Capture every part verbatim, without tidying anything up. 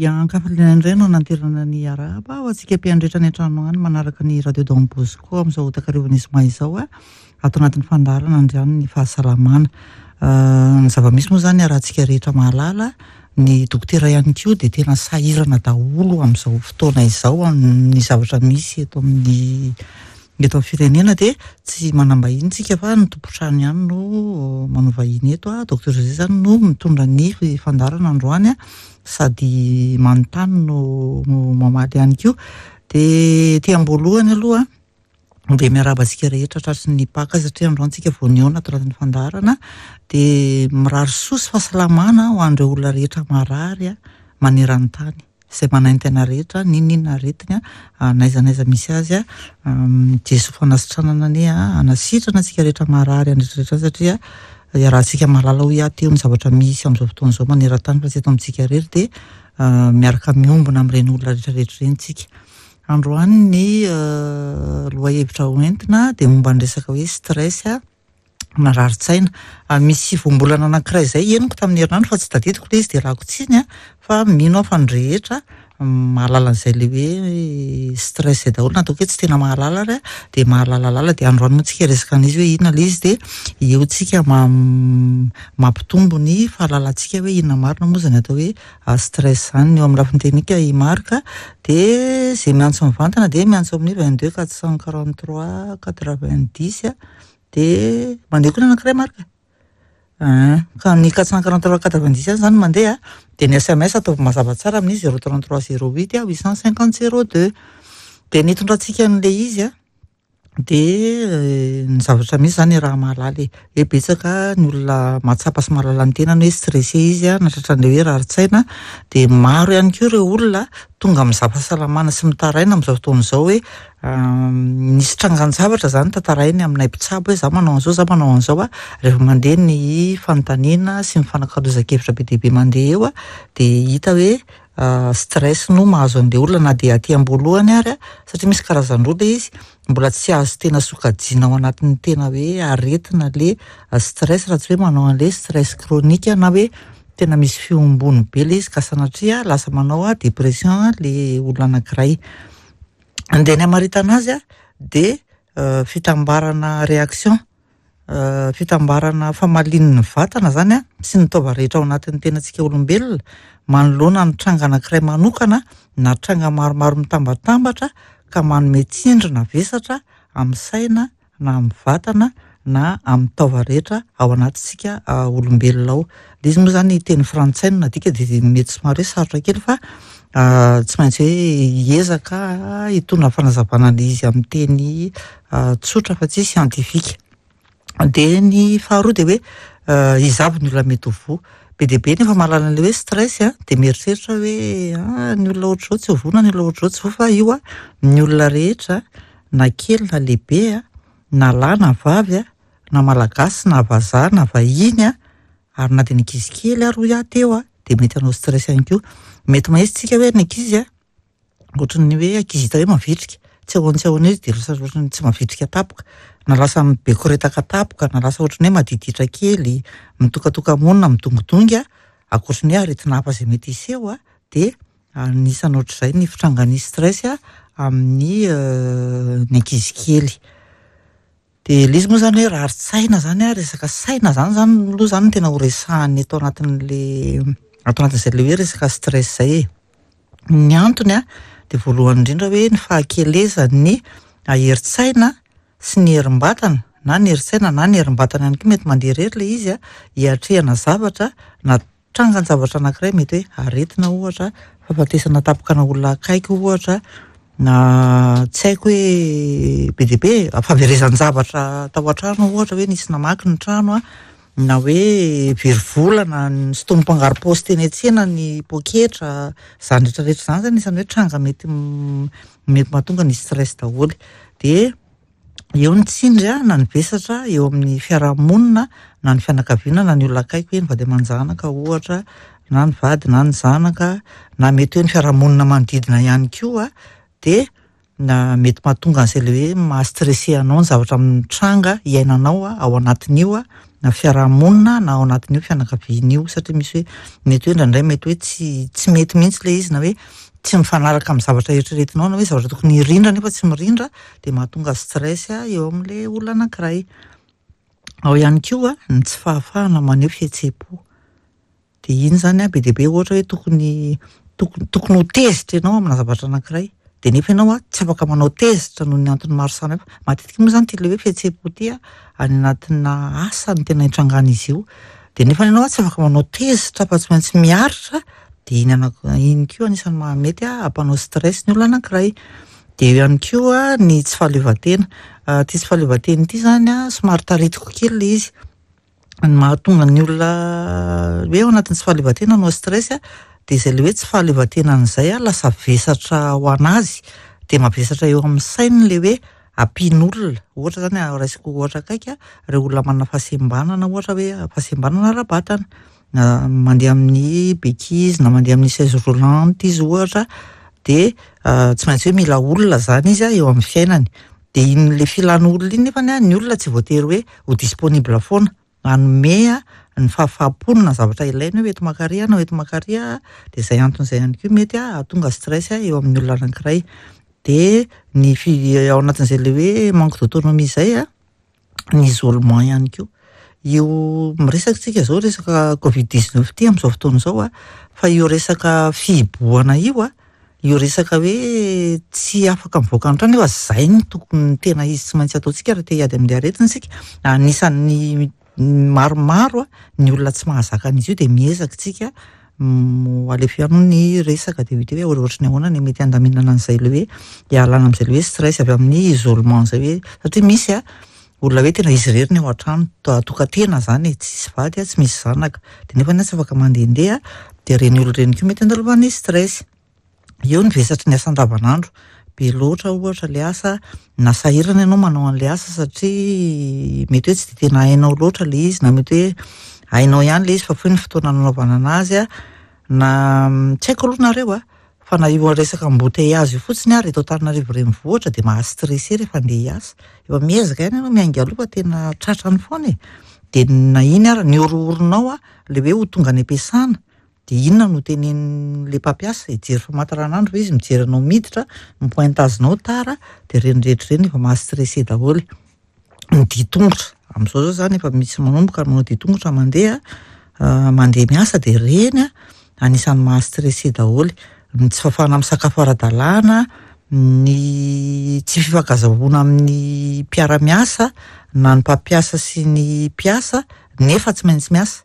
Ankafaliana indray no nanterana ny arahaba ho antsika mpiandretra any an-trano any manaraka ny Radio Don Bosco amin'izao takarivan'ny zoma izao a, ato anatin'ny fandaharana andriany ny fahasalamana. Ny zava-misy moa zany arahantsika rehetra mahalala, ny dokotera ihany koa dia tena sahirana daholo amin'izao fotoana izao amin'ny zavatra misy eto amin'ny eto amin'ny firenena, dia tsy manam-bahiny tsika fa ny tompon-trano ihany no manao vahiny eto a. Docteur José zany no mitondra ny fandaharana androany a, sady manontany no mamaly ihany koa. Dia ty am-boalohany aloha dia miarahaba antsika rehetra tratry ny Paka, satria androany tsika vao nihaona ato anatin'ny fandaharana. Dia mirary soa sy fahasalamana ho an'ireo olona rehetra marary a maneran-tany, izay manaintaina rehetra, n'inon'inona aretina n'aiza n'aiza misy azy a. Jesoa fanasitranana anie a hanasitrana antsika rehetra marary any rehetra, satria iarahantsika mahalala hoy aho teo ny zavatra misy amin'izao fotoana izao maneran-tany fa tsy eto amintsika irery, dia miaraka miombona amin'ireny olona rehetra rehetra ireny tsika. Androany ny lohahevitra hoentina dia momba ny resaka hoe stress na rarin-tsaina. Misy voambolana anankiray izay henoko tamin'ny herinandro fa tsy tadidiko ilay izy dia lako tsiny a, fa mino aho fa ny rehetra mahalala an'izay le hoe stress izay daholo, na ataoko hoe tsy tena mahalala ary a dia mahalalalala. Dia androany moa tsika resaka an'izy hoe inona ilay izy, dia eo tsika mampitombo ny fahalalantsika hoe inona marina moa zany atao hoe stress zany. Eo amin'ny lafiny teknika i Marc, dia izay miantso mivantana dia miantso amin'ny vingt-deux quatre cent quarante-trois quatre-vingt-dix a, dia mandeha koa ny anankiray Marc? Ka ny quatre cent quarante-trois quatre-vingt-dix ihany zany mandeha, dia ny S M S ataovy mazava tsara amin'ny zéro trente-trois zéro huit huit cent cinquante zéro deux. Dia nitondrantsika an'ilay izy a, dia ny zavatra misy zany raha mahalala e, hoe betsaka ny olona mahatsapa sy mahalala ny tenany hoe stressé izy a, nahatratra an'ilay hoe rarin-tsaina. Dia maro ihany koa ireo olona tonga amin'ny fahasalamana sy mitaraina amin'izao fotoana izao hoe nisy trangan-javatra zany tantarainy aminay mpitsabo hoe za manao an'izao, za manao an'izao a. Rehefa mandeha ny fanontaniana sy ny fanakalozan-kevitra be dia be mandeha eo a, dia hita hoe stress no mahazo an'ilay olona na dia aty am-boalohany ary a, satria misy karazan-droa ilay izy, mbola tsy azo tena sokajiana ao anatin'ny tena hoe aretina le stress raha tsy hoe manao an'ilay stress chronique na hoe tena misy fiombony be ilay izy ka sanatria lasa manao a dépression le olona anankiray. Andeha ny hamaritana azy a, dia fitambarana réaction, fitambarana famalian'ny vatana zany a sy ny taova rehetra ao anatin'ny tenantsika olombelona manoloana ny tranga anankiray manokana na tranga maromaro mitambatambatra ka manome tsindry na vesatra amin'ny saina na amin'ny vatana na amin'ny taova rehetra ao anatintsika olombelona ao. Ilay izy moa zany teny frantsay no nadika dia mety somary hoe sarotra kely fa tsy maintsy hoe hiezaka hitondra fanazavana ilay izy amin'ny teny tsotra fa tsy siantifika. Dia ny faharoa dia hoe iza avy ny olona mety ho voa. Be dia be nefa mahalala an'ilay hoe stress a, dia mieritreritra hoe ny olona ohatr'izao tsy ho voa na ny olona ohatr'izao tsy voa, fa io a ny olona rehetra na kely na lehibe a, na lahy na vavy a, na malagasy na vazaha na vahiny a, ary na dia ny ankizy kely ary hoy aho teo a, dia mety hanao stress ihany koa. Mety mahitsy tsika hoe ny ankizy a, ohatran'ny hoe ankizy hita hoe mavitrika, tsy ahoana tsy ahoana izy dia lasa ohatran'ny tsy mavitrika tampoka, na lasa mibekoretaka tampoka, na lasa ohatran'ny hoe madiditra kely, mitokatoka-monina, midongidongy a, ankoatran'ny hoe aretina hafa izay mety hiseho a, dia anisan'ny ohatr'izay ny fitrangan'ny stress a amin'ny ny ankizy kely. Dia ilay izy moa zany hoe rarin-tsaina zany a, resaka saina zany zany aloha zany no tena ho resahana eto anatin'le ato anatin'izay le hoe resaka stress izay e. Ny antony a dia voalohany indrindra hoe ny fahakelezan'ny herin-tsaina sy ny herim-batana, na ny herin-tsaina na ny herim-batana ihany koa mety mandeha irery ilay izy a, hiatrehana zavatra na trangan-javatra anankiray, mety hoe aretina ohatra, fahafatesana tampoka ana olona akaiky ohatra, na tsy haiko hoe be dia be, fahaverezan-javatra tao an-trano ohatra hoe nisy namaky ny trano a, na hoe very vola na nisintomin'ny mpangaro-paosy teny an-tsena ny poketra, izany rehetrarehetra izany zany anisan'ny hoe tranga mety mety mahatonga ny stress daholo. Dia eo ny tsindry a, na ny vesatra eo amin'ny fiarahamonina na ny fianakaviana na ny olona akaiky hoe ny vady aman-janaka ohatra, na ny vady na ny zanaka, na mety hoe ny fiarahamonina manodidina ihany koa, dia na mety mahatonga an'izay ilay hoe maha-stressé anao ny zavatra mitranga iainanao a ao anatin'io a, na fiarahamonina na ao anatin'io fianakaviana io, satria misy hoe mety hoe indraindray mety hoe tsy tsy mety mihitsy ilay izy, na hoe tsy mifanaraka amin'ny zavatra eritreretinao, na hoe zavatra tokony hirindra nefa tsy mirindra, dia mahatonga stress eo amin'ilay olona anankiray. Ao ihany koa ny tsy fahafahana maneho fihetseham-po. Dia iny izany be dia be, ohatra hoe tokony tokony tokony ho tezitra ianao amina zavatra anankiray, dia nefa ianao tsy afaka manao tezitra noho ny antony maro samihafa. Matetika moa izany ity ilay hoe fihetseham-po ity any anatina asa no tena itrangan'izy io. Dia nefa ianao tsy afaka manao tezitra fa tsy maintsy miaritra, dia iny anak- iny koa anisan'ny mahamety hampanao stress ny olona anankiray. Dia eo ihany koa ny tsy fahaleovantena. Ity tsy fahaleovantena ity izany an, somary taritiko kely ilay izy. Ny mahatonga ny olona hoe ao anatin'ny tsy fahaleovantena hanao stress dia izay ilay hoe tsy fahaleovantenan'izay lasa vesatra ho an'azy, dia mavesatra eo amin'ny sainy ilay hoe ampian'olona. Ohatra izany, raisiko ohatra akaiky, ireo olona manana fahasembanana, ohatra hoe fahasembanana ara-batana, na mandeha amin'ny béquille izy na mandeha amin'ny chaise roulante izy ohatra, dia tsy maintsy hoe mila olona izany izy eo amin'ny fiainany. Dia iny ilay filan'olona iny nefany ny olona tsy voatery hoe ho disponible foana hanome ny fahafaham-pony na zavatra ilainy hoe eto makary na eto makary, dia izay antony izay ihany koa mety hahatonga stress eo amin'ny olona anankiray. Dia ny fi- ao anatin'izay ilay hoe manque d'autonomie izay an, ny isolement ihany koa. Io miresaka tsika izao resaka covid dix-neuf ity amin'izao fotoana izao an, fa io resaka fihibohana io an, io resaka hoe tsy afaka mivoaka ny trano nefa izay no tokony tena izy tsy maintsy ataontsika raha te hiady amin'ilay aretina isika. Anisan'ny maromaro ny olona tsy mahazaka an'izy io, dia miezaka isika alefa ihany ny resaka, dia hita hoe ohatry ny ahoana ny mety handaminana an'izay ilay hoe hialana amin'izay ilay hoe stress avy amin'ny isolement izay, hoe satria misy a olona hoe tena izy irery ny ao an-trano, tokan-tena izany e, tsisy vady, tsy misy zanaka, dia nefa tsy afaka mandehandeha, dia ireny olona ireny koa mety andalovan'ny stress. Eo ny vesatry ny asa andavanandro, be loatra ohatra ilay asa, na sahirana ianao manao an'ilay asa satria mety hoe tsy dia tena hainao loatra ilay izy, na mety hoe hainao ihany ilay izy fa fohy ny fotoana nanaovana anazy, na tsy haiko aloha nareo a, fa na io resaka embouteillage io fotsiny ary eto Antananarivo renivohitra dia maha-stressé rehefa andeha hiasa. Efa miezaka ihany ianao miainga aloha fa tena tratrany foana e. Dia na iny ary ny horohoronao ilay hoe ho tonga any am-piasana, dia inona no tenenin'ilay mpampiasa? Hijery famantaranandro ve izy, mijery anao miditra, mi-pointage-nao tara, dia ireny rehetra ireny efa maha-stressé daholo. Ny dian-tongotra, amin'izao zao izany efa misy manomboka manao dian-tongotra mandeha mandeha miasa, dia ireny anisan'ny maha-stressé daholo. Ny tsy fahafahana misakafo ara-dalàna, ny tsy fifankazahoana amin'ny mpiara-miasa na ny mpampiasa sy ny mpiasa nefa tsy maintsy miasa.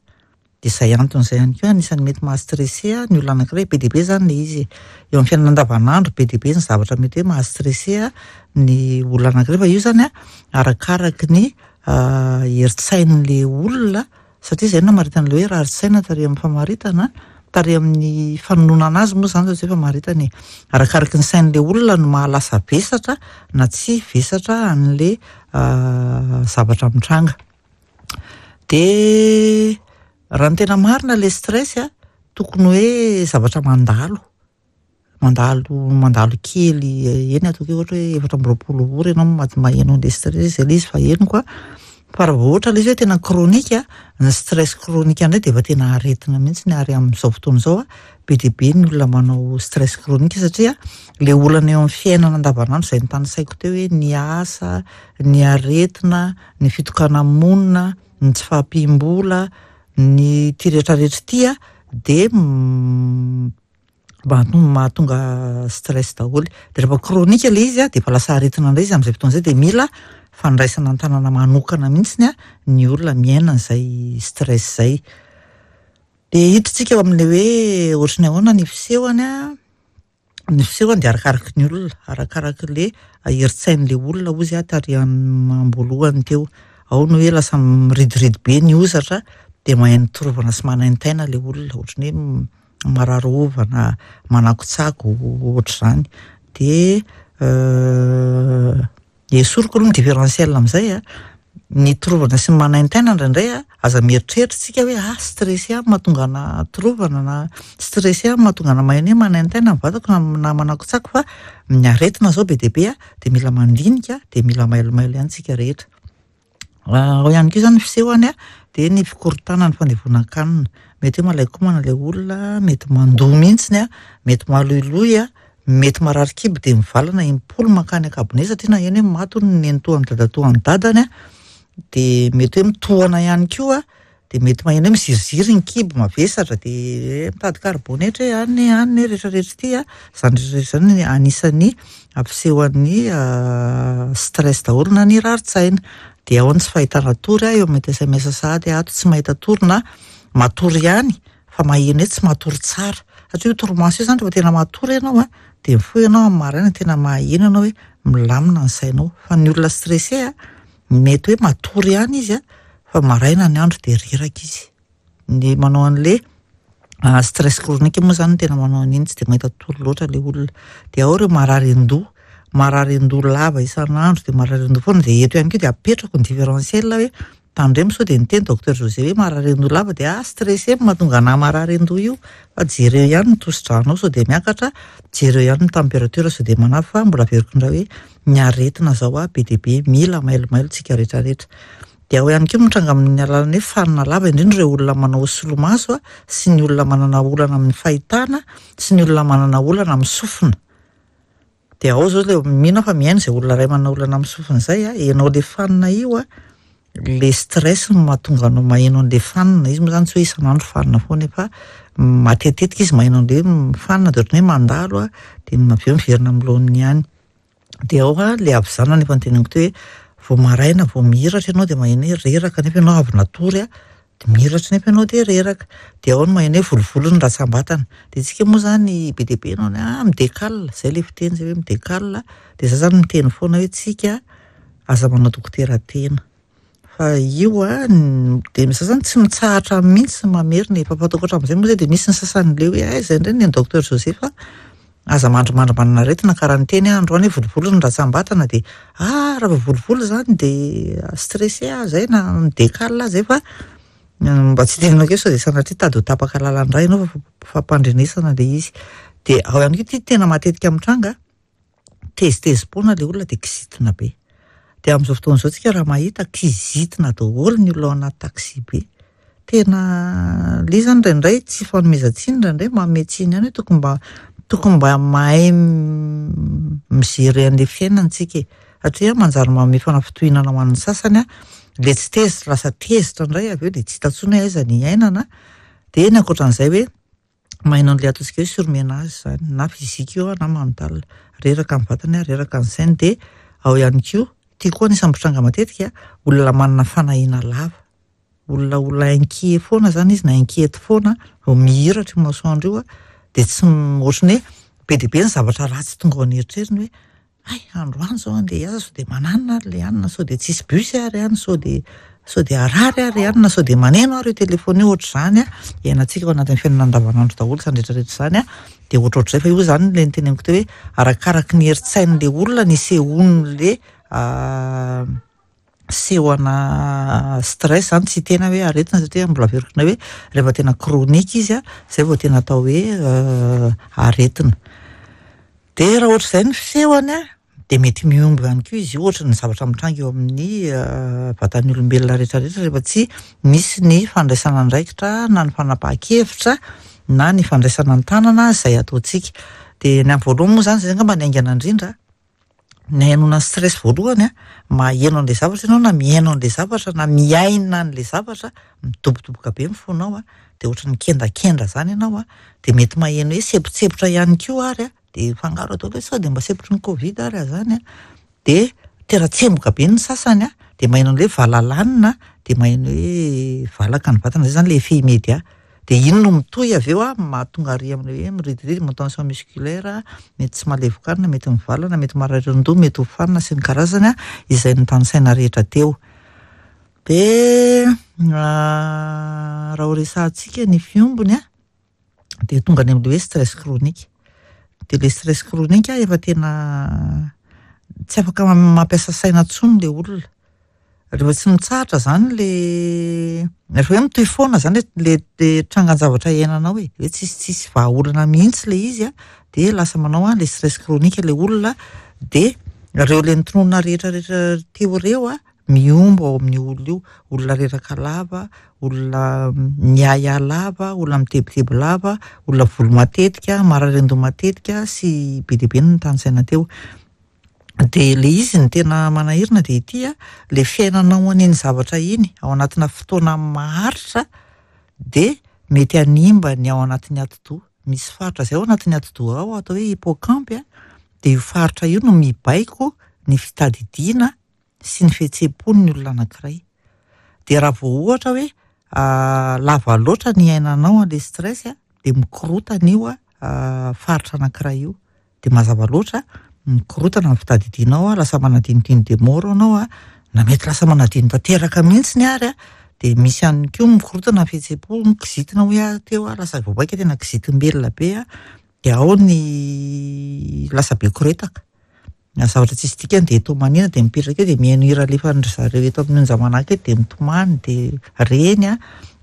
Dia izay anton'izay ihany koa anisan'ny mety maha-stressé ny olona anankiray. Be dia be izany ilay izy eo amin'ny fiainana andavanandro, be dia be ny zavatra mety hoe maha-stressé ny olona anankiray, fa io izany arakaraky ny herin-tsain'ilay olona, satria izay no namaritana ilay hoe rarin-tsaina tary amin'ny famaritana, tary amin'ny fanononana azy moa izany fa tsy hoe famaritana e. Arakaraky ny sain'ilay olona no mahalasa vesatra na tsy vesatra an'ilay zavatra mitranga. Dia raha ny tena marina ilay stress a, tokony hoe zavatra mandalo, mandalo mandalo kely eny, ataoko hoe ohatra hoe efatra amby roapolo ora ianao maheno an'ilay stress, izay ilay izy fa henoko a. Fa raha vao ohatra ilay izy hoe tena chronique, ny stress chronique indray dia efa tena aretina mihitsy, ary amin'izao fotoana izao be dia be ny olona manao stress chronique, satria ilay olana eo amin'ny fiainana andavanandro izay notanisaiko teo hoe ny asa, ny aretina, ny fitokana-monina, ny tsy fahampiam-bola, ny ity rehetrarehetra ity dia mahatonga stress daholo. Dia rehefa chronique ilay izy dia efa lasa aretina indray izy amin'izay fotoana izay, dia mila fandraisana an-tanana manokana mihitsy ny olona miaina an'izay stress izay. Dia hiditsika eo amin'ilay hoe ohatry ny ahoana ny fisehony a, ny fisehony dia arakaraky ny olona, arakaraky ilay herin-tsain'ilay olona hozy aho tary am-boalohany teo. Ao ny hoe lasa miridiridy be ny hozatra, dia mahay mitorovana sy manaintaina ilay olona, ohatry ny hoe marary hovana, manakotsako ohatr'izany. Dia esoriko aloha ny différentiel amin'izay a, ny torovana sy ny manaintaina indraindray a, aza mieritreritra tsika hoe ah stressé aho mahatonga ana torovana, na stressé aho mahatonga ana maheno hoe manaintaina ny vatako na manakotsako, fa ny aretina izao be dia be a, dia mila mandinika, dia mila mailomailo ihany tsika rehetra. Ao ihany koa izany ny fisehony dia ny fikorontanana, ny fandevonan-kanina. Mety hoe malain-komana ilay olona, mety mandoa mihitsiny, mety maloiloy, mety marary kibo dia mivalana impolo mankany an-kabone satria naheno hoe maty hono ny nenitoan'ny dadatoan'ny dadany, dia mety hoe mitohana ihany koa, dia mety maheno hoe miziriziry ny kibo, mavesatra, dia mitady karibonetra e, any any rehetrarehetra ity a. Izany rehetrarehetra izany anisan'ny ampisehoan'ny stress daholo na ny rarin-tsaina. Dia ao ny tsy fahitana tory, eo mety S M S sahady ato tsy mahita tory na matory ihany fa maheno hoe tsy matory tsara. Satria io torimaso io izany rehefa tena matory ianao a, dia mifoha ianao amin'ny maraina tena maheno ianao hoe milamina ny sainao. Fa ny olona stressé a, mety hoe matory ihany izy a, fa maraina ny andro dia reraka izy. Ny manao an'le stress chronique moa izany tena manao an'iny, tsy dia mahita tory loatra ilay olona. Dia ao ireo marary an-doha, marary an-doha lava isan'andro dia marary an-doha foana. Dia eto ihany koa dia apetrako ny différentiel hoe tandremo sao dia niteny docteur José hoe marary an-doha lava dia ah stressé mahatonga anahy marary an-doha io, fa jereo ihany ny tosi-dranao sao dia miakatra, jereo ihany ny température sao dia manavy, fa mbola averiko indray hoe ny aretina zao a be dia be, mila mailomailo tsika rehetrarehetra. Dia ao ihany koa mitranga amin'ny alalan'ny hoe fanina lava, indrindra ireo olona manao solomaso a, sy ny olona manana olana amin'ny fahitana, sy ny olona manana olana amin'ny sofina. Dia ao zao ilay mino aho fa mihaino izay olona iray manana olana amin'ny sofina izay a, ianao ilay fanina io a, le stress no mahatonga anao maheno an'ilay fanina. Izy moa izany tsy hoe isan'andro fanina foana, fa matetitetika izy maheno an'ilay fanina dia ohatran'ny hoe mandalo a, dia avy eo miverina amin'ny laoniny ihany. Dia ao a ilay havizanana efa noteneniko teo hoe vao maraina vao mihiratra ianao dia maheno hoe reraka nefa ianao avy natory a, dia mihiratra nefa ianao dia reraka. Dia ao no maheno hoe volovolo ny ratsambatana. Dia tsika moa izany be dia be ianao ny ah midekala, izay ilay fiteny izay hoe midekala. Dia za izany miteny foana hoe tsika aza manao dokotera tena. Fa io a, dia za izany tsy mitsahatra mihitsy mamerina, efa fataoko hatramin'izay moa izay dia misy ny sasany le hoe aiza indray ny docteur José fa aza mandrimandry manana aretina, ka raha niteny aho androany hoe volovolo ny ratsambatana dia ah raha vao volovolo izany dia stressé aho izay na midekala aho izay, fa mba tsy tenenako hoe sao dia sanatria tady ho tapaka lalan-dra ianao fa fampandrenesana ilay izy. Dia ao ihany koa ity tena matetika mitranga, tezitezi-poana ilay olona dia kizitina be. Dia amin'izao fotoana izao tsika raha mahita kizitina daholo ny olona ao anaty taxi be. Tena ilay izany indraindray tsy fanomezan-tsiny, indraindray manome tsiny ihany hoe tokony mba, tokony mba mahay mijery an'ilay fiainana tsika e. Satria manjary manome fanafitohinana ho an'ny sasany a, ilay tsy tezitra lasa tezitra indray avy eo dia tsy hita intsony hoe aiza ny iainana. Dia ny ankoatran'izay hoe maheno an'ilay ataontsika hoe surmenage izany, na physique io na mental, reraka ny vatany, reraka ny sainy. Dia ao ihany koa, ity koa anisan'ny mpitranga matetika, olona manana fanahiana lava, olona olona inquiet foana izany izy na inquiète foana, vao mihiratra io masoandro io a, dia tsy m-, ohatran'ny hoe be dia be ny zavatra ratsy tonga ao an'eritreriny hoe ay androany izao andeha hiasa sao dia mananina ary ilay hanina, sao dia tsisy bus ary any, sao dia, sao dia harary ary hanina, sao dia maneno ary io telefona io, ohatr'izany a. Iainantsika ao anatin'ny fiainana andavanandro daholo izany rehetrarehetra izany a, dia ohatrohatr'izay. Fa io izany ilay niteneniko teo hoe arakaraky ny herin-tsain'ilay olona ny isehoan'ilay, ah, sehoana stress izany, tsy tena hoe aretina, satria mbola averiko indray hoe rehefa tena chronique izy a, izay vao tena atao hoe, ah, aretina. Dia raha ohatr'izay ny fisehony a, dia mety mihombo ihany koa izy io, ohatra ny zavatra mitranga eo amin'ny, ah, vatan'ny olombelona rehetrarehetra rehefa tsy misy ny fandraisana andraikitra na ny fanapahan-kevitra na ny fandraisana an-tanana izay ataontsika. Dia ny amin'ny voalohany moa izany izay angamba ny haingana indrindra, ny hainoana ny stress voalohany a, maheno an'ilay zavatra ianao na mihaino an'ilay zavatra na miaina an'ilay zavatra, midobodoboka be ny fonao a, dia ohatran'ny mikendakenda izany ianao a, dia mety maheno hoe sempotsepitra ihany koa ary a, dia fangaro atao hoe sao dia mba sempotry ny Covid ary izany a, dia tera-tsemboka be ny sasany a, dia maheno an'ilay hoe valalanina, dia maheno hoe valaka ny vatana, izay izany ilay effet immédiat. Dia iny no mitohy avy eo a, mahatonga ary amin'ilay hoe miridiridi, manao tension musculaire, mety tsy mahalevokanina, mety mivalana, mety marary an-doha, mety ho fanina sy ny karazany a, izay notanisaina rehetra teo. Dia, ah, raha ho resahantsika ny fiombony a, dia tonga any amin'ilay hoe stress chronique. Dia ilay stress chronique a, efa tena tsy afaka mampiasa saina intsony ilay olona. Rehefa tsy mitsahatra izany le, rehefa hoe mitohy foana izany le, le trangan-javatra iainanao e, hoe tsisy, tsisy vahaolana mihitsy le izy a, dia lasa manao a le stress chronique le olona, dia ireo le notononina rehetrarehetra teo ireo a, mihombo ao amin'io olona io, olona reraka lava, olona miahiahy lava, olona mitebiteby lava, olona voly matetika, marary an-doha matetika sy be dia be no notanisaina teo. De le izy ny tena manahirana de ity a, le fiainanao an'iny zavatra iny ao anatina fotoana maharitra de mety hanimba ny ao anatin'ny atidoha. Misy faritra zay ao anatin'ny atidoha ao atao hoe hippocampe a, de io faritra io no mibaiko ny fitadidiana sy ny fihetseham-pon'ny olona anankiray. De raha vao ohatra hoe lava loatra ny iainanao an'le stress a, de mikorotana io a faritra anankiray io. De mazava loatra mikorotana ny fitadidianao a, lasa manadinodino de mora anao a, na mety lasa manadino tanteraka mihitsiny ary a, de misy ihany koa mikorotana ny fihetseham-po, mikizitina hoy aho teo a, lasa vao mainka tena kizitim-belona be a, de ao ny lasa be koretaka. Na zavatra tsisy dikany de tomanina de mipetraka eo de mihaino hira alefan'dry zareo eto amin'ny onja manahaka eto de mitomany de reny a,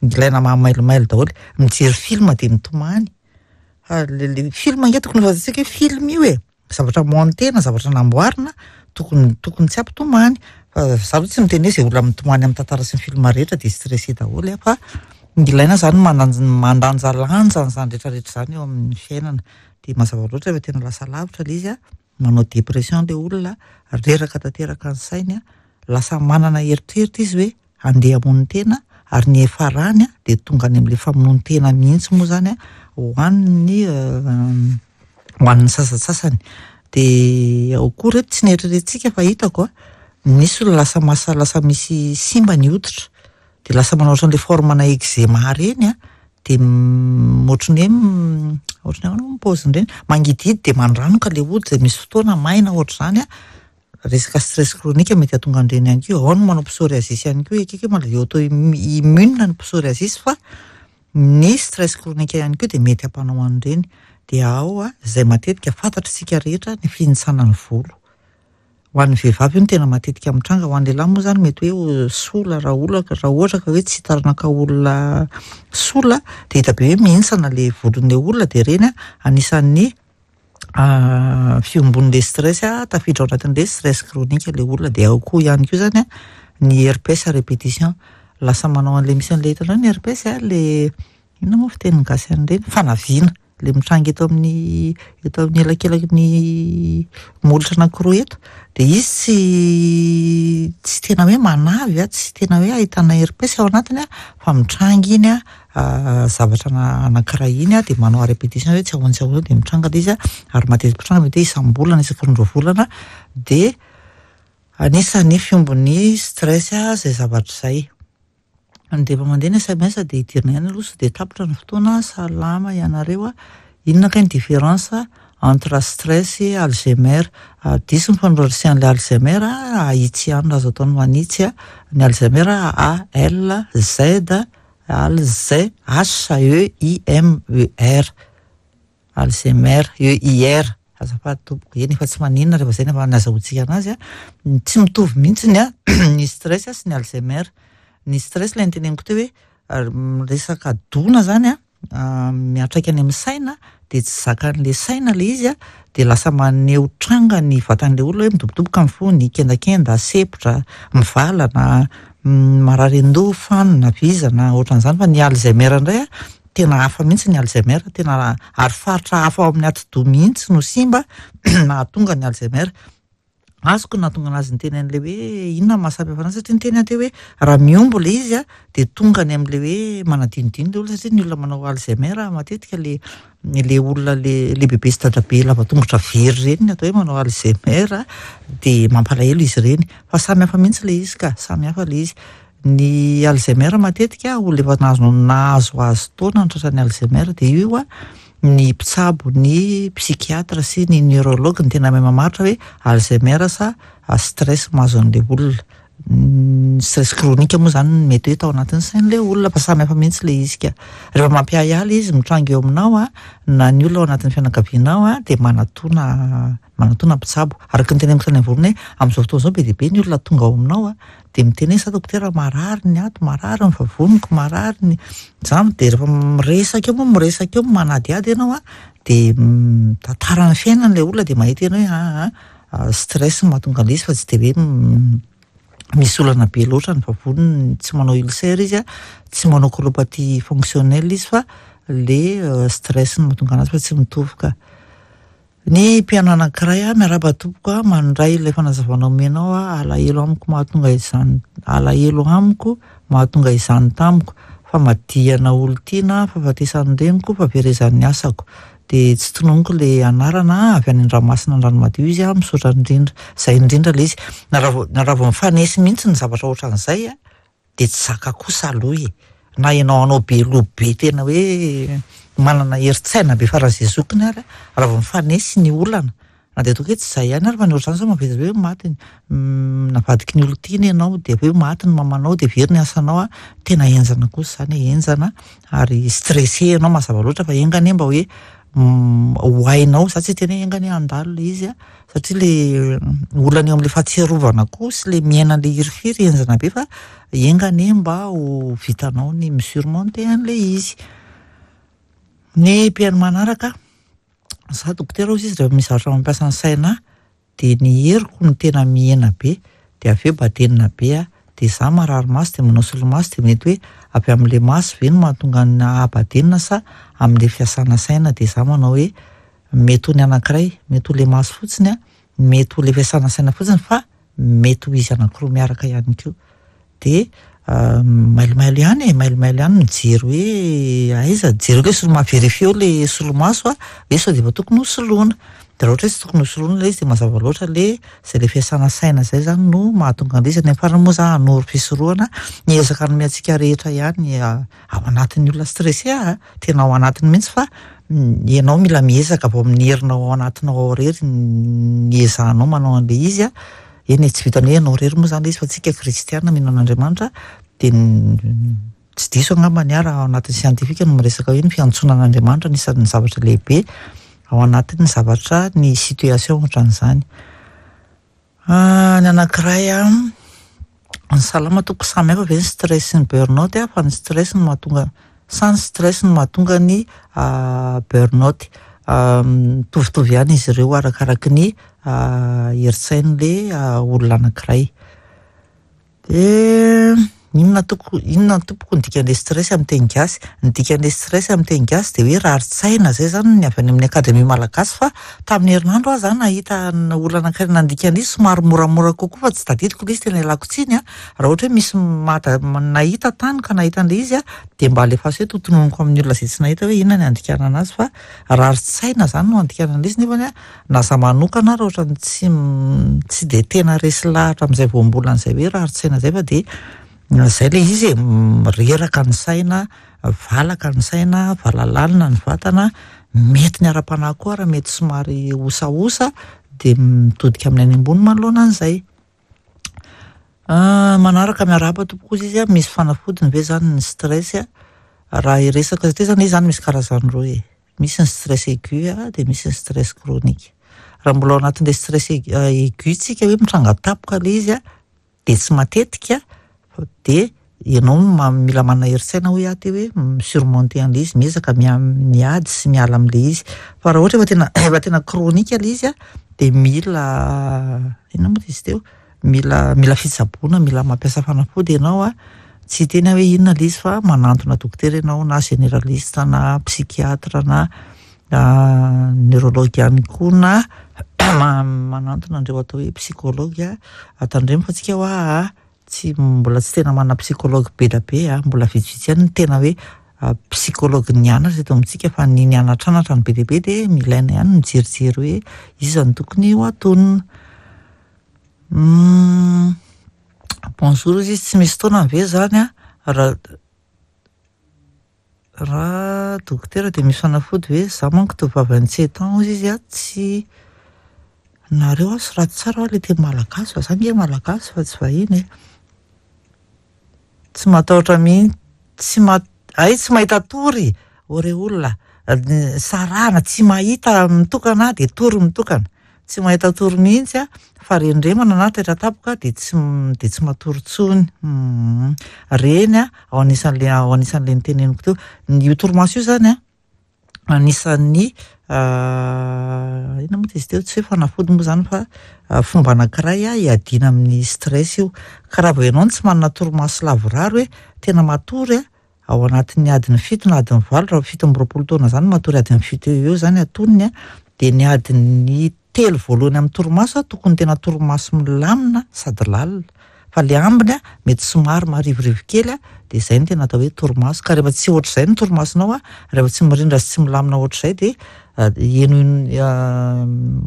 ilaina mahamailomailo daholo. Mijery film de mitomany. Fa le le film ange tokony ho fantatsika hoe film io e, zavatra montena, zavatra namboarina, tokony tokony tsy hampitomany. Fa za aloha tsy miteny hoe zay olona mitomany amin'ny tantara sy ny film rehetra de stressé daholo a, fa ilaina zany mandanj- mandanjalanja an'izany rehetrarehetra zany eo amin'ny fiainana. De mazava loatra rehefa tena lasa lavitra le izy a, manao dépression le olona, reraka tanteraka ny sainy a, lasa manana eritreritra izy hoe andeha hamono tena, ary ny hiafarany a de tonga any amin'le famonoan-tena mihitsy moa zany a ho an'ny ho an'ny sasantsasany. De ao koa reto tsy nieritreretintsika fa hitako a, misy olona lasa masa lasa misy simba ny hoditra, de lasa manao ohatran'le forme-na eczéma reny a, de ohatran'ny hoe ohatran'ny ahoana moa ny paozin'ireny, mangidihidy de mandranoka le hoditra de misy fotoana maina ohatr'izany a, resaka stress chronique mety hahatonga an'ireny ihany koa. Ao ny manao psoriasis ihany koa, ekeko hoe maladie auto-immune ny psoriasis fa ny stress chronique ihany koa de mety hampanao an'ireny. De ao a, zay matetika fantatritsika rehetra ny fihintsanan'ny volo. Ho an'ny vehivavy io no tena matetika mitranga, ho an'ny lehilahy moa zany mety hoe sola raha olaka raha ohatra ka hoe tsy taranaka olona sola de hita be hoe mihintsana le volon'le olona de reny a anisan'ny fiombon'le stress a, tafiditra ao anatin'le stress chronique le olona. De ao koa ihany koa zany a ny herpès à répétition, lasa manao an'le misy an'le hitanao ny herpès a, le inona moa fitenin'ny gasy an'ireny, fanaviana le mitranga eto amin'ny eto amin'ny elakelaky ny molotra anankiroa eto, de izy tsy tsy tena hoe manavy a, tsy tena hoe ahitana herpès ao anatiny a, fa mitranga iny a zavatra anankiray iny a de manao à répétition hoe tsy ahoana tsy ahoana de mitranga le izy a, ary matetika mitranga mety hoe isam-bolana isaky ny roa volana, de anisan'ny fiombon'ny stress a zay zavatra zay. De efa mandeha ny S M S de hidirina ihany aloha sao de tapitra ny fotoana. Salama ianareo a, inona kay ny différence entre stress et Alzheimer? Diso ny fanorasian'le Alzheimer, ahitsy ihany raha azo atao ny manitsy a, ny Alzheimer A L Z Al Z H E I M E R, Alzheimer E I R, azafady tompoko. Eny efa tsy maninona rehefa zay ny azahoantsika anazy a, tsy mitovy mihitsy ny a ny stress sy ny Alzheimer. Ny stress ilay noteneniko teo hoe resaka dona zany a miantraika any amin'ny saina, de tsy zakan'le saina le izy a, de lasa maneho tranga ny vatan'le olona hoe midobodoboka ny fony, kendakenda, sepotra, mivalana, marary an-doha, fanina, vizana, ohatran'izany. Fa ny Alzheimer indray a tena hafa mihitsy ny Alzheimer, tena ary faritra hafa ao amin'ny atidoha mihitsy no simba nahatonga ny Alzheimer. Azoko nahatonga anazy niteny an'le hoe inona no mahasamihafa anazy, satria niteny aho teo hoe raha mihombo le izy a de tonga any amin'le hoe manadinodino le olona, satria ny olona manao Alzheimer matetika le le olona le le bebe sy dadabe lava tongotra very reny ny atao hoe manao Alzheimer, de mampalahelo izy ireny. Fa samy hafa mihitsy le izy ka, samy hafa le izy. Ny Alzheimer matetika olona efa nahazo nahazoazo taona ny tratran'ny Alzheimer, de io a ny mpitsabo, ny psychiatre sy ny neurologue ny tena mahay mamaritra hoe Alzheimer sa stress mahazo an'le olona. Ny stress chronique moa zany mety hoe tao anatin'ny sain'le olona, fa samy hafa mihitsy le izy ka. Rehefa mampiahiahy le izy mitranga eo aminao a, na ny olona ao anatin'ny fianakavianao a, de manatona manatona mpitsabo. Araka ny teneniko tany am-voalohany hoe amin'izao fotoana izao be dia be ny olona tonga ao aminao a, de miteny hoe za dokotera marary ny ato, marary ny vavoniko, marary ny zany. De rehefa miresaka eo moa, miresaka eo manadihady ianao a, de mitantara ny fiainany le olona, de mahita ianao hoe aa stress no mahatonga an'le izy fa tsy de hoe Misy olana be loatra ny vavoniny, tsy manao ulcère izy a, tsy manao colopathie fonctionnelle izy, fa le stress no mahatonga anazy, fa tsy mitovy ka. Ny mpihaino anankiray a: "Miarahaba tompoko a, mandray ilay fanazavana omenao a, alahelo amiko mahatonga izany, alahelo amiko mahatonga izany tamiko, famadihana olo-tiana, fahafatesan'ny reniko, fahaverezan'ny asako." De tsy tononiko le anarana, avy any Andramasina, Andranomadio izy a. Misaotra indrindra. Zay indrindra le izy, na raha vao na raha vao mifanesy mihitsy ny zavatra ohatran'izay a, de tsy zaka kosa aloha e, na ianao anao be loha be, tena hoe manana herin-tsaina be faran'izay zokiny ary, raha vao mifanesy ny olana, na de ataoko hoe tsy zay ihany ary, fa ny ohatr'izany zao mavesatra be hoe maty, navadiky ny olon-tiana ianao, de avy eo maty ny mamanao, de very ny asanao a, tena henjana kosa zany e, henjana ary stressé ianao, mazava loatra. Fa enga anie mba hoe ho hainao, za tsy hiteny hoe enga anie handalo le izy a, satria le olana eo am'le fahatsiarovana koa sy le miaina an'le hirifiry henjana be, fa enga anie mba ho vitanao ny mi-surmonter an'le izy. Ny mpihaino manaraka: "Za dokotera," hozy izy, "rehefa misy zavatra mampiasa ny saina de ny heriko no tena mihena be, de avy eo badenina be a, de za marary maso, de manao solomaso, de mety hoe avy am'le maso ve no mahatonga ny ahabadenina sa am'le fiasana saina?" De za manao hoe mety ho ny anankiray, mety ho le maso fotsiny a, mety ho le fiasana saina fotsiny, fa mety ho izy anankiroa miaraka ihany koa. De mailomailo ihany e, mailomailo ihany mijery hoe aiza, jereo le solomaso, vérifieo le solomaso a, hoe sao de efa tokony ho soloina. De raha ohatra hoe tsy tokony ho soloina le izy, de mazava loatra le zay le fiasana saina zay zany no mahatonga an'le izy. Any amin'ny farany moa za hanoro fisorohana, miezaka hanome antsika rehetra ihany ao anatin'ny olona stressé a, tena ao anatiny mihitsy, fa ianao mila miezaka vao amin'ny herinao ao anatinao ao rery ny ezahanao manao an'le izy a. Eny e, tsy vitany hoe ianao rery moa zany le izy, fa tsika kristiana mino an'Andriamanitra, de tsy diso angamba ny ahy raha ao anatin'ny siantifika no miresaka hoe ny fiantsoana an'Andriamanitra anisan'ny zavatra lehibe ao anatin'ny zavatra ny situation ohatran'izany. Ny anankiray a: "Ny salama tompoko, samy hafa ve ny stress sy ny burn-out a, fa ny stress no mahatonga sa ny stress no mahatonga ny burn-out?" Mitovitovy ihany izy ireo, arakaraky ny herin-tsain'le olona anankiray. De inona toko inona tompoko ny dikan'le stress amin'ny teny gasy?" Ny dikan'le stress amin'ny teny gasy de hoe rarin-tsaina, zay zany ny avy any amin'ny Akademia Malagasy, fa tamin'ny herinandro aho zany nahita olona anankiray nandika an'izy somary moramora kokoa, fa tsy tadidiko le izy, tena ialako tsiny a. Raha ohatra hoe misy mata nahita tany ka nahita an'le izy a, de mba alefaso eto, tononiko amin'ny olona zay tsy nahita hoe inona ny andikana anazy, fa rarin-tsaina zany no andikana an'le izy. Nefany a, na za manokana raha ohatra ny tsy tsy de tena resy lahatra amin'izay voambolan'izay hoe rarin-tsaina zay, fa de zay le izy e, reraka ny saina, valaka ny saina, valalalina ny vatana, mety ny ara-panahy koa raha mety somary osaosa, de mitodika amin'ny any ambony manoloana an'izay. Manaraka: "Miarahaba tompoko," izy izy a, "misy fanafodiny ve zany ny stress a?" Raha iresaka ty zany izy zany, misy karazany roa e: misy ny stress aigu a, de misy ny stress chronique. Raha mbola ao anatin'le stress aigu tsika, hoe mitranga tampoka le izy a, de tsy matetika, de ianao mila manana herin-tsaina, hoy aho te hoe mi-surmonter an'le izy, miezaka miady sy miala am'le izy. Fa raha ohatra efa tena efa tena chronique le izy a, de mila inona moa izy teo, mila mila fitsaboana, mila mampiasa fanafody ianao a. Tsy hiteny aho hoe inona le izy, fa manantona dokotera ianao, na généraliste na psychiatre na neurologue ihany koa, na manantona andreo atao hoe psychologue. Atandremo fa tsika hoa tsy mbola tsy tena manana psychologue be da be a, mbola vitsivitsy ihany ny tena hoe psychologue nianatra eto amintsika, fa ny nianatranatra ny be dia be, de milaina ihany mijerijery hoe iza no tokony ho atonina. "Bonjour," izy, "tsy misy fotoana ve zany a raha raha dokotera, de misy fanafody ve? Za manko tovovavy vingt-sept ans," hozy izy a. Tsy nareo a, soraty tsara hoa le teny malagasy, fa za nge malagasy fa tsy vahiny e. Tsy matahotra mihitsy, tsy ma ay tsy mahita tory o re olona sarahana, tsy mahita mitokana de tory mitokana, tsy mahita tory mihitsy a, fa rendremana na taitra tampoka de tsy de tsy matory intsony reny a. Ao anisan'le ao anisan'le niteneniko teo io torimaso io zany a, anisan'ny inona moa Inona izy teo? Tsy hoe fanafody moa zany fa fomba anankiray a hiadiana amin'ny stress io. Ka raha vao ianao no tsy manana torimaso lavorary, hoe tena matory a ao anatin'ny adiny fito na adiny valo, raha fito amby roapolo taona zany matory adiny fito eo eo zany atonony a, de ny adiny telo voalohany amin'ny torimaso a tokony tena torimaso milamina sady lalina, fa le ambiny a mety somary marivorivo kely a, de zay no tena atao hoe torimaso. Ka rehefa tsy ohatr'izay ny torimasonao a, rehefa tsy mirindra sy tsy milamina ohatr'izay, de eno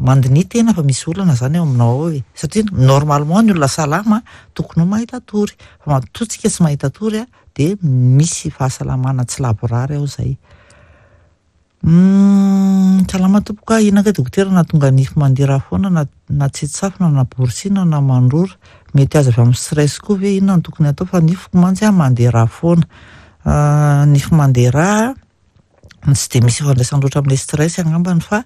mandinia tena fa misy olana zany eo aminao ao e, satria normalement ny olona salama tokony ho mahita tory, fa matoa tsika tsy mahita tory a, de misy fahasalamana tsy lavorary ao zay. Salama tompoko a, inona kay dokotera nahatonga nify mandeha rà foana na na tsetsafina na borosina na mandrora? Mety azo avy amin'ny stress koa ve? Inona no tokony atao fa nifiko mantsy a mandeha rà foana? Nify mandeha rà tsy de misy ifandraisany loatra amin'ilay stress angambany, fa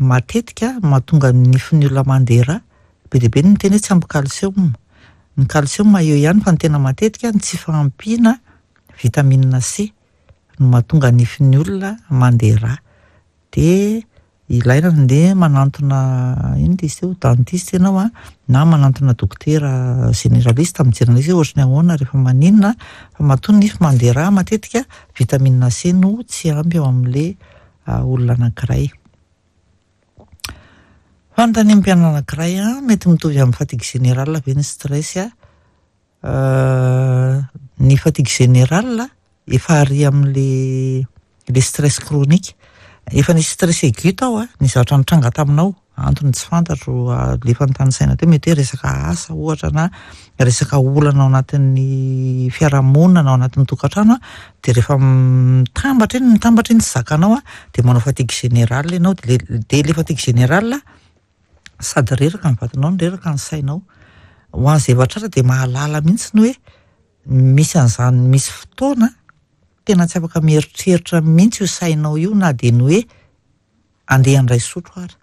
matetika mahatonga ny nifin'ny olona mandeha rà, be dia be ny miteny hoe tsy ampy calcium. Ny calcium eo ihany, fa ny tena matetika ny tsy fahampiana vitamine C no mahatonga nifin'ny olona mandeha rà. De ilaina ndeha manantona, inona izy teo, dentiste ianao a, na manantona dokotera généraliste mijery an'izy hoe ohatry ny ahoana rehefa maninona, fa matoa nify mandeha rà, matetika vitamine C no tsy ampy ao amin'le olona anankiray. Fanontanian'ny mpianatra anankiray a, mety mitovy amin'ny fatigue générale ve ny stress a? Ny fatigue générale efa ary amin'le le stress chronique, efa nisy stress aigu tao a, ny zavatra nitranga taminao, antony tsy fantatro le efa nitanisaina teo, mety hoe resaka asa ohatra na resaka olana ao anatin'ny fiarahamonina na ao anatin'ny tokantrano a, de rehefa mitambatra iny mitambatra iny tsy zakanao a, de manao fatigue générale ianao, de le de le fatigue générale sady reraka ny vatanao no reraka ny sainao. Ho an'izay efa tratra de mahalala mihitsy ny hoe misy an'izany, misy fotoana tena tsy afaka mieritreritra mihitsy io sainao io, na de ny hoe andeha handray sotro ary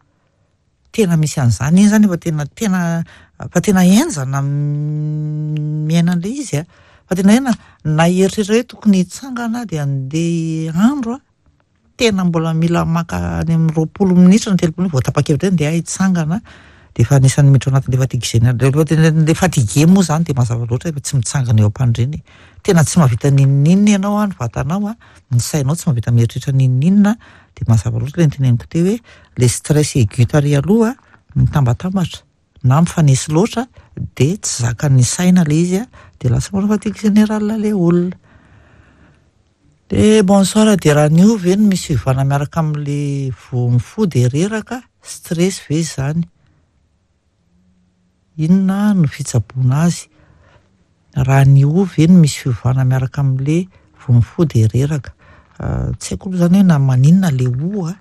tena misy an'izany iny zany efa tena tena fa tena henjana miaina an'le izy a, fa tena hena na hieritreritra hoe tokony hitsangana de andeha andro a, tena mbola mila maka any amin'ny roapolo minitra na telopolo vao tapa-kevitra hoe andeha hitsangana, de efa anisan'ny miditra ao anatin'le fatigue générale. Le fatigué moa zany de mazava loatra efa tsy mitsangana eo am-pandriana, tena tsy mahavita n'inon'inona ianao a, ny vatanao a, ny sainao tsy mahavita mieritreritra n'inon'inona, de mazava loatra le niteneniko teo hoe le stress aigu tary aloha mitambatambatra na mifanesy loatra, de tsy zakan'ny saina le izy a, de lasa manao fatigue générale le olona. De bonsoir, de raha ny io ve no misy fiovana miaraka amin'le vao mifoha de reraka, stress ve zany? Inona no fitsaboana azy? Raha ny o ve no misy fiovana miaraka amin'le vao mifoha de reraka? Tsy haiko aloha zany hoe na maninona le o a,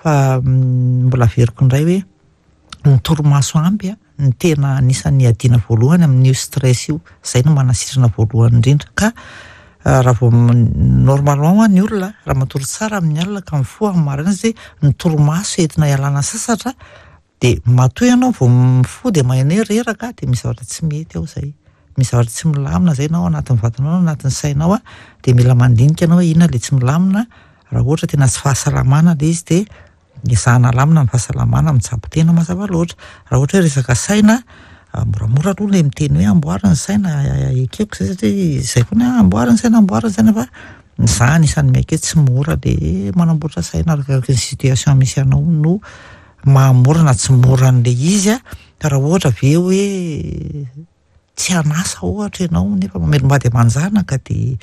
fa mbola averiko indray hoe ny torimaso ampy a ny tena anisan'ny adiana voalohany amin'io stress io, zay no manasitrana voalohany indrindra. Ka raha vao normalement ny olona raha matory tsara amin'ny alina ka mifoha amin'ny maraina, satria ny torimaso entina ialana sasatra, de matoa ianao vao mifoha de maheno hoe reraka, de misy zavatra tsy mety ao zay, misy zavatra tsy milamina zay na ao anatin'ny vatanao na anatin'ny sainao a, de mila mandinika ianao hoe inona le tsy milamina. Raha ohatra tena tsy fahasalamana le izy, de ezahana alamina ny fahasalamana, mitsabo tena mazava loatra. Raha ohatra hoe resaka saina, moramora aloha le miteny hoe amboary ny saina, ekeko zay satria zay foana hoe amboary ny saina, amboary ny saina, fa za anisan'ny miaiky hoe tsy mora le manamboatra saina, arakaraky ny situation misy anao no mahamora na tsy mora an'le izy a. Ka raha ohatra ve hoe tsy anasa ohatra ianao nefa mamelom-bady aman-janaka, de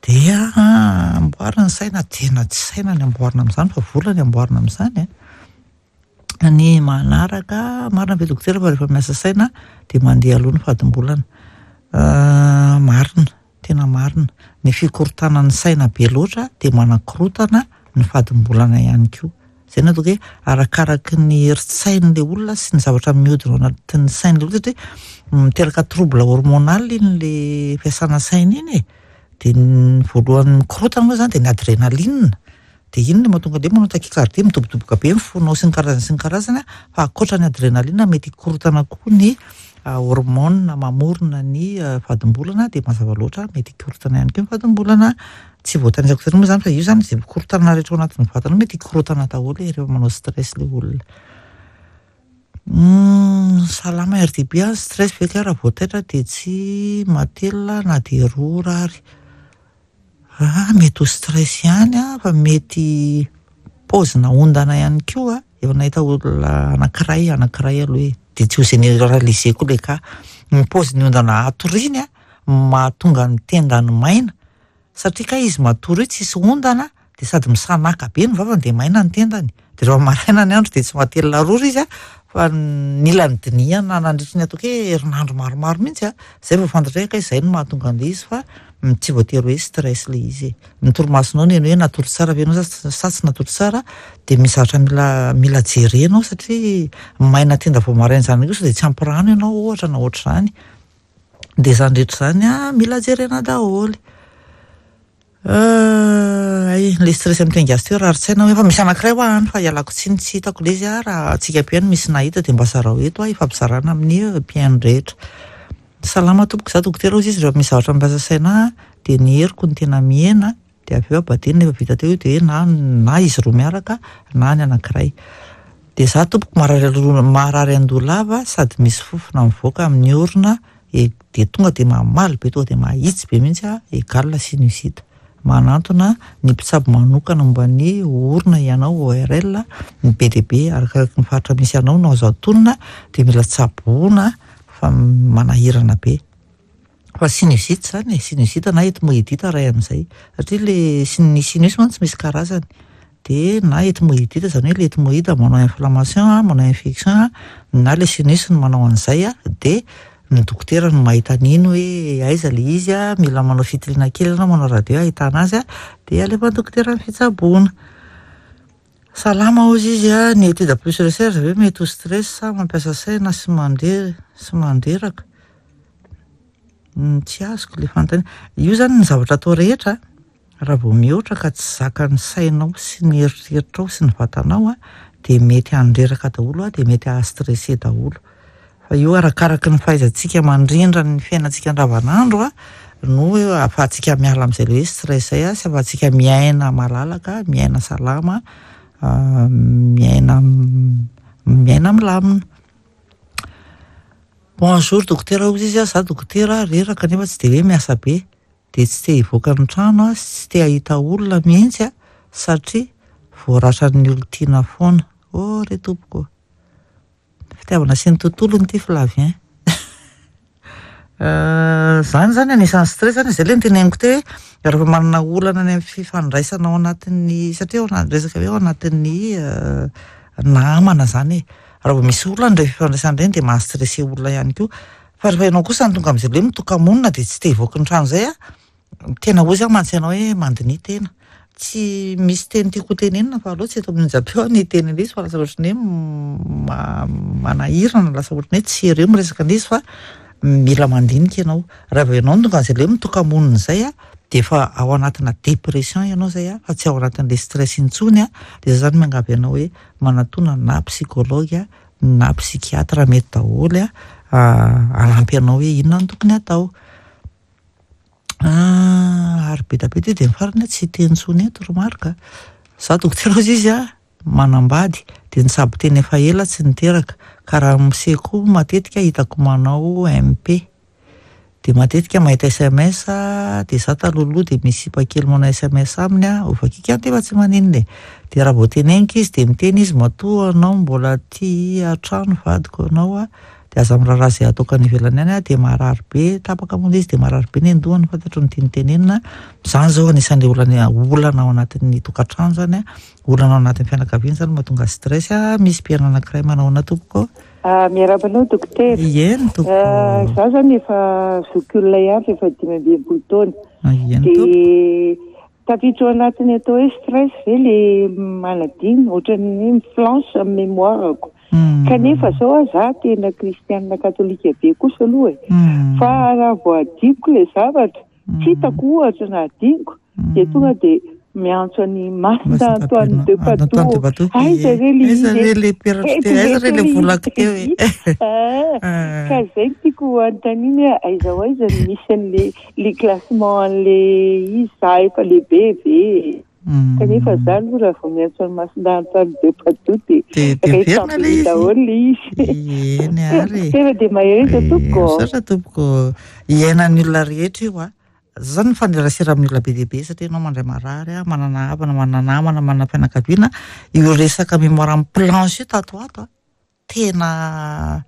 de amboary ny saina, tena tsy saina ny amboarina amin'izany fa vola ny amboarina amin'izany a. Ny manaraka, marina ve dokotera fa rehefa miasa saina de mandeha aloha ny fadimbolana? Marina, tena marina, ny fikorontanan'ny saina be loatra de manakorotana ny fadimbolana ihany koa. Zay no ataoko hoe arakaraky ny herin-tsain'le olona sy ny zavatra mihodina ao anatin'ny sain'le olona, satria miteraka trouble hormonal iny le fiasana saina iny e, de ny voalohany mikorotana moa zany de ny adrénaline, de iny no mahatonga le manao tachycardie, midobodoboka be ny fonao sy ny karazany sy ny karazany, fa ankoatra ny adrénaline mety hikorotana koa ny hormone mamorona ny vadimbolana, dia mazava loatra mety hikorotana ihany koa ny vadimbolana. Tsy voatanisako tena moa zany fa io zany zay mikorotana rehetra ao anatin'ny vatana mety hikorotana daholo rehefa manao stress le olona. Salama R D B a, stress ve ka raha voataitra dia tsy matelina na dia roa ora ary. Ah, mety ho stress ihany a, fa mety paozina ondana ihany koa. Efa nahita olona anankiray anankiray aloha e, dia tsy ho généralisé koa le cas. Ny paoziny ondana atoriany a mahatonga ny tendany maina, satria ka izy matory io tsisy ondana dia sady misanaka be ny vavany dia maina ny tendany. Dia rehefa maraina ny andro dia tsy matelina roa izy a, fa nila nidinihana nandritry ny ataoko hoe herinandro maromaro mihitsy a, zay vao fantatra hoe ka izay no mahatonga an'ilay izy, fa tsy voatery hoe stress le izy e. Ny torimasonao ny hoe natory tsara ve ianao sa tsy natory tsara, dia misy zavatra mila mila jerenao, satria maina tenda vao maraina izany kosa dia tsy ampy rano ianao ohatra na ohatr'izany. Dia izany rehetra izany a mila jerena daholo. Ay, le stress amin'ny teny gasy teo raha tsaina hoe efa misy anankiray ho any fa ialako tsiny tsy hitako le izy a, raha antsika mpihaino misy nahita dia mba zarao eto a, ifampizarana amin'ny mpihaino rehetra. Salama tompoko, za dokotera hozy izy, rehefa misy zavatra mampiasa saina dia ny heriko no tena mihena, dia avy eo abadeny efa vita teo dia na na izy roa miaraka na ny anankiray. Dia za tompoko marary marary andoha lava sady misy fofona mivoaka amin'ny orona e, dia tonga dia mamaly be, tonga dia mahitsy be mihitsy a, égal sinusite. Manantona ny mpitsabo manokana momba ny orona ianao, O R L, ny be dia be arakaraka ny faritra misy anao no azo atonina, dia mila tsaboina fa manahirana be. Fa sinusite zany e, sinusite na ethmoïdite ray amin'izay, satria le ny sinus mantsy misy karazany. Dia na ethmoïdite zany hoe le ethmoïde manao inflammation, manao infection, na le sinus no manao an'izay a, dia ny dokotera no mahita an'iny hoe aiza le izy a, mila manao fitiliana kely ianao, manao radio ahitana azy a, dia alefa ny dokotera ny fitsaboana. Salama hozy izy a, ny étude plus recherche ve mety ho stress sa mampiasa saina sy mandre sy mandreraka? Tsy azoko le fanontaniana. Io zany ny zavatra atao rehetra raha vao mihoatra ka tsy zakan'ny sainao sy ny eritreritrao sy ny vatanao a, dia mety handreraka daholo a, dia mety hahastressé daholo. Fa io arakaraky ny fahaizantsika mandrindra ny fiainantsika andavanandro a no ahafahantsika miala amin'izay le hoe stress zay a, sy ahafahantsika miaina malalaka, miaina salama, miaina miaina milamina. Bonjour dokotera hozy izy a, za dokotera reraka nefa tsy dia hoe miasa be, dia tsy te hivoaka ny trano a, sy tsy te hahita olona mihitsy a, satria voaratran'ny olon-tiana foana. Oh re tompoko. Fitiavana sy ny tontolony ity Flavien. Zany zany anisan'ny stress zany, zay le niteneniko teo hoe rehefa manana olana any amin'ny fifandraisana ao anatin'ny, satria ao anaty resaka hoe ao anatin'ny namana zany e. Raha vao misy olana ireny fifandraisana ireny dia mahastressé olona ihany koa. Fa rehefa ianao kosa no tonga amin'izay le hoe mitoka-monina dia tsy te hivoaka ny trano izay a, tena hozy aho mantsy ianao hoe mandinia tena. Tsy misy teny tiako tenenina fa aleo tsy eto amin'ny onjam-peo aho ny hiteny an'izy fa lasa ohatran'ny hoe manahirana, lasa ohatran'ny hoe tsy ireo miresaka an'izy fa mila mandinika ianao. Raha vao ianao no tonga amin'izay le hoe mitoka-monina izay a, dia efa ao anatina dépression ianao izay a, fa tsy ao anatin'le stress intsony a, dia zay zany miangavy anao hoe manatona na psychologue na psychiatre mety daholo a, hanampy anao hoe inona no tokony atao. Ary be dia be dia ny farany tsy hiteny intsony eto ry Marc. Za dokotera hozy izy a, manambady dia nitsabo tena efa ela tsy niteraka, ka raha miseho koa matetika hitako manao M P. Dia matetika mahita S M S, dia za talohaloha dia misy sipa kely manao S M S aminy a, hovakiko ihany nefa tsy maninona e. Dia raha vao teneniko izy dia miteny izy matoa anao mbola tia an-trano vadiko anao a, dia aza miraharaha izay ataoko any ivelany any a, dia marary be, tapaka moa ilay izy dia marary be ny andohany, fantatro ny tiany tenenina. Izany zao anisan'ilay olana, olana ao anatin'ny tokantrano zany a, olana ao anatin'ny fianakaviana zany mahatonga stress a. Misy mpihaino anankiray manao ahoana tompoko? Ah, miarahaba anao dokotera. Eny tompoko. Za zany efa zokiolona ihany fa efa dimy amby enimpolo taona. Eny tompoko. Dia tafiditra ao anatin'ny atao hoe stress ve le manadino, ohatran'ny hoe miflanche amin'ny mémoire-ko. Kanefa zao a, za tena kristianina katolika be kosa aloha e. Fa raha vao adinoko le zavatra, tsy hitako ohatra na adinoko, dia tonga dia Miantso any Masina Antoine de Padoue, aiza re le Aiza re le peratra teo, aiza re le volako teo e? Ka zay no tiako anontaniana hoe aiza ho aiza ny misy an'le le classement an'le izy. Za efa lehibe ve, kanefa za aloha raha vao miantso any Masina Antoine de Padoue de De de miverina le izy. Daholo le izy. Eny ary. Tena de mahereza tompoko. Misaotra tompoko. Iainan'ny olona rehetra io a. Zany mifanerasera amin'ny olona be dia be satria ianao mandray marary a, manana havana, manana namana, manana fianakaviana. Io resaka mémoire mi-planche io tato ato a, tena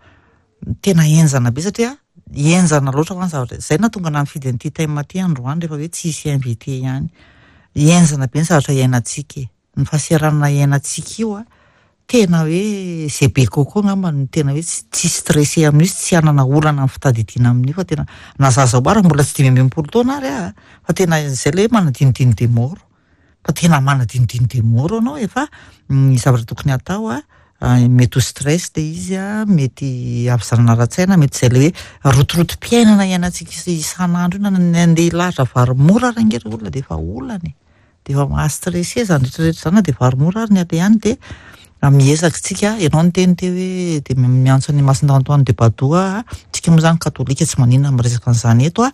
tena enjana be satria enjana loatra ho any zavatra. Zay nahatonga na nifidy an'ity thème ty androany rehefa hoe tsy hisy invité ihany. Enjana be ny zavatra iainantsika e. Ny fahasahiranana iainantsika io a, tena hoe zay be kokoa angamba no tena hoe tsy tsy stressé amin'io sy tsy hanana olana amin'ny fitadidiana amin'io, fa tena na zaza ara mbola tsy dimy ambin'ny folo taona ary a, fa tena zay le hoe manadinodino de mort, fa tena manadinodino de mort anao. Efa ny zavatra tokony atao a, mety ho stress le izy a, mety havizanana ara-tsaina, mety zay le hoe rotorotom-piainana iainantsika isan'andro io, na ny andeha hilahatra vary mora ary ange ry olona de efa olana e, de efa maha-stressé zany rehetrarehetra zany, na de vary mora ary ny alehany. De miezaka tsika, ianao niteny teo hoe de miantso ny Masina Antoine de Padoue, tsika moa zany katolika tsy maninona miresaka an'izany eto a,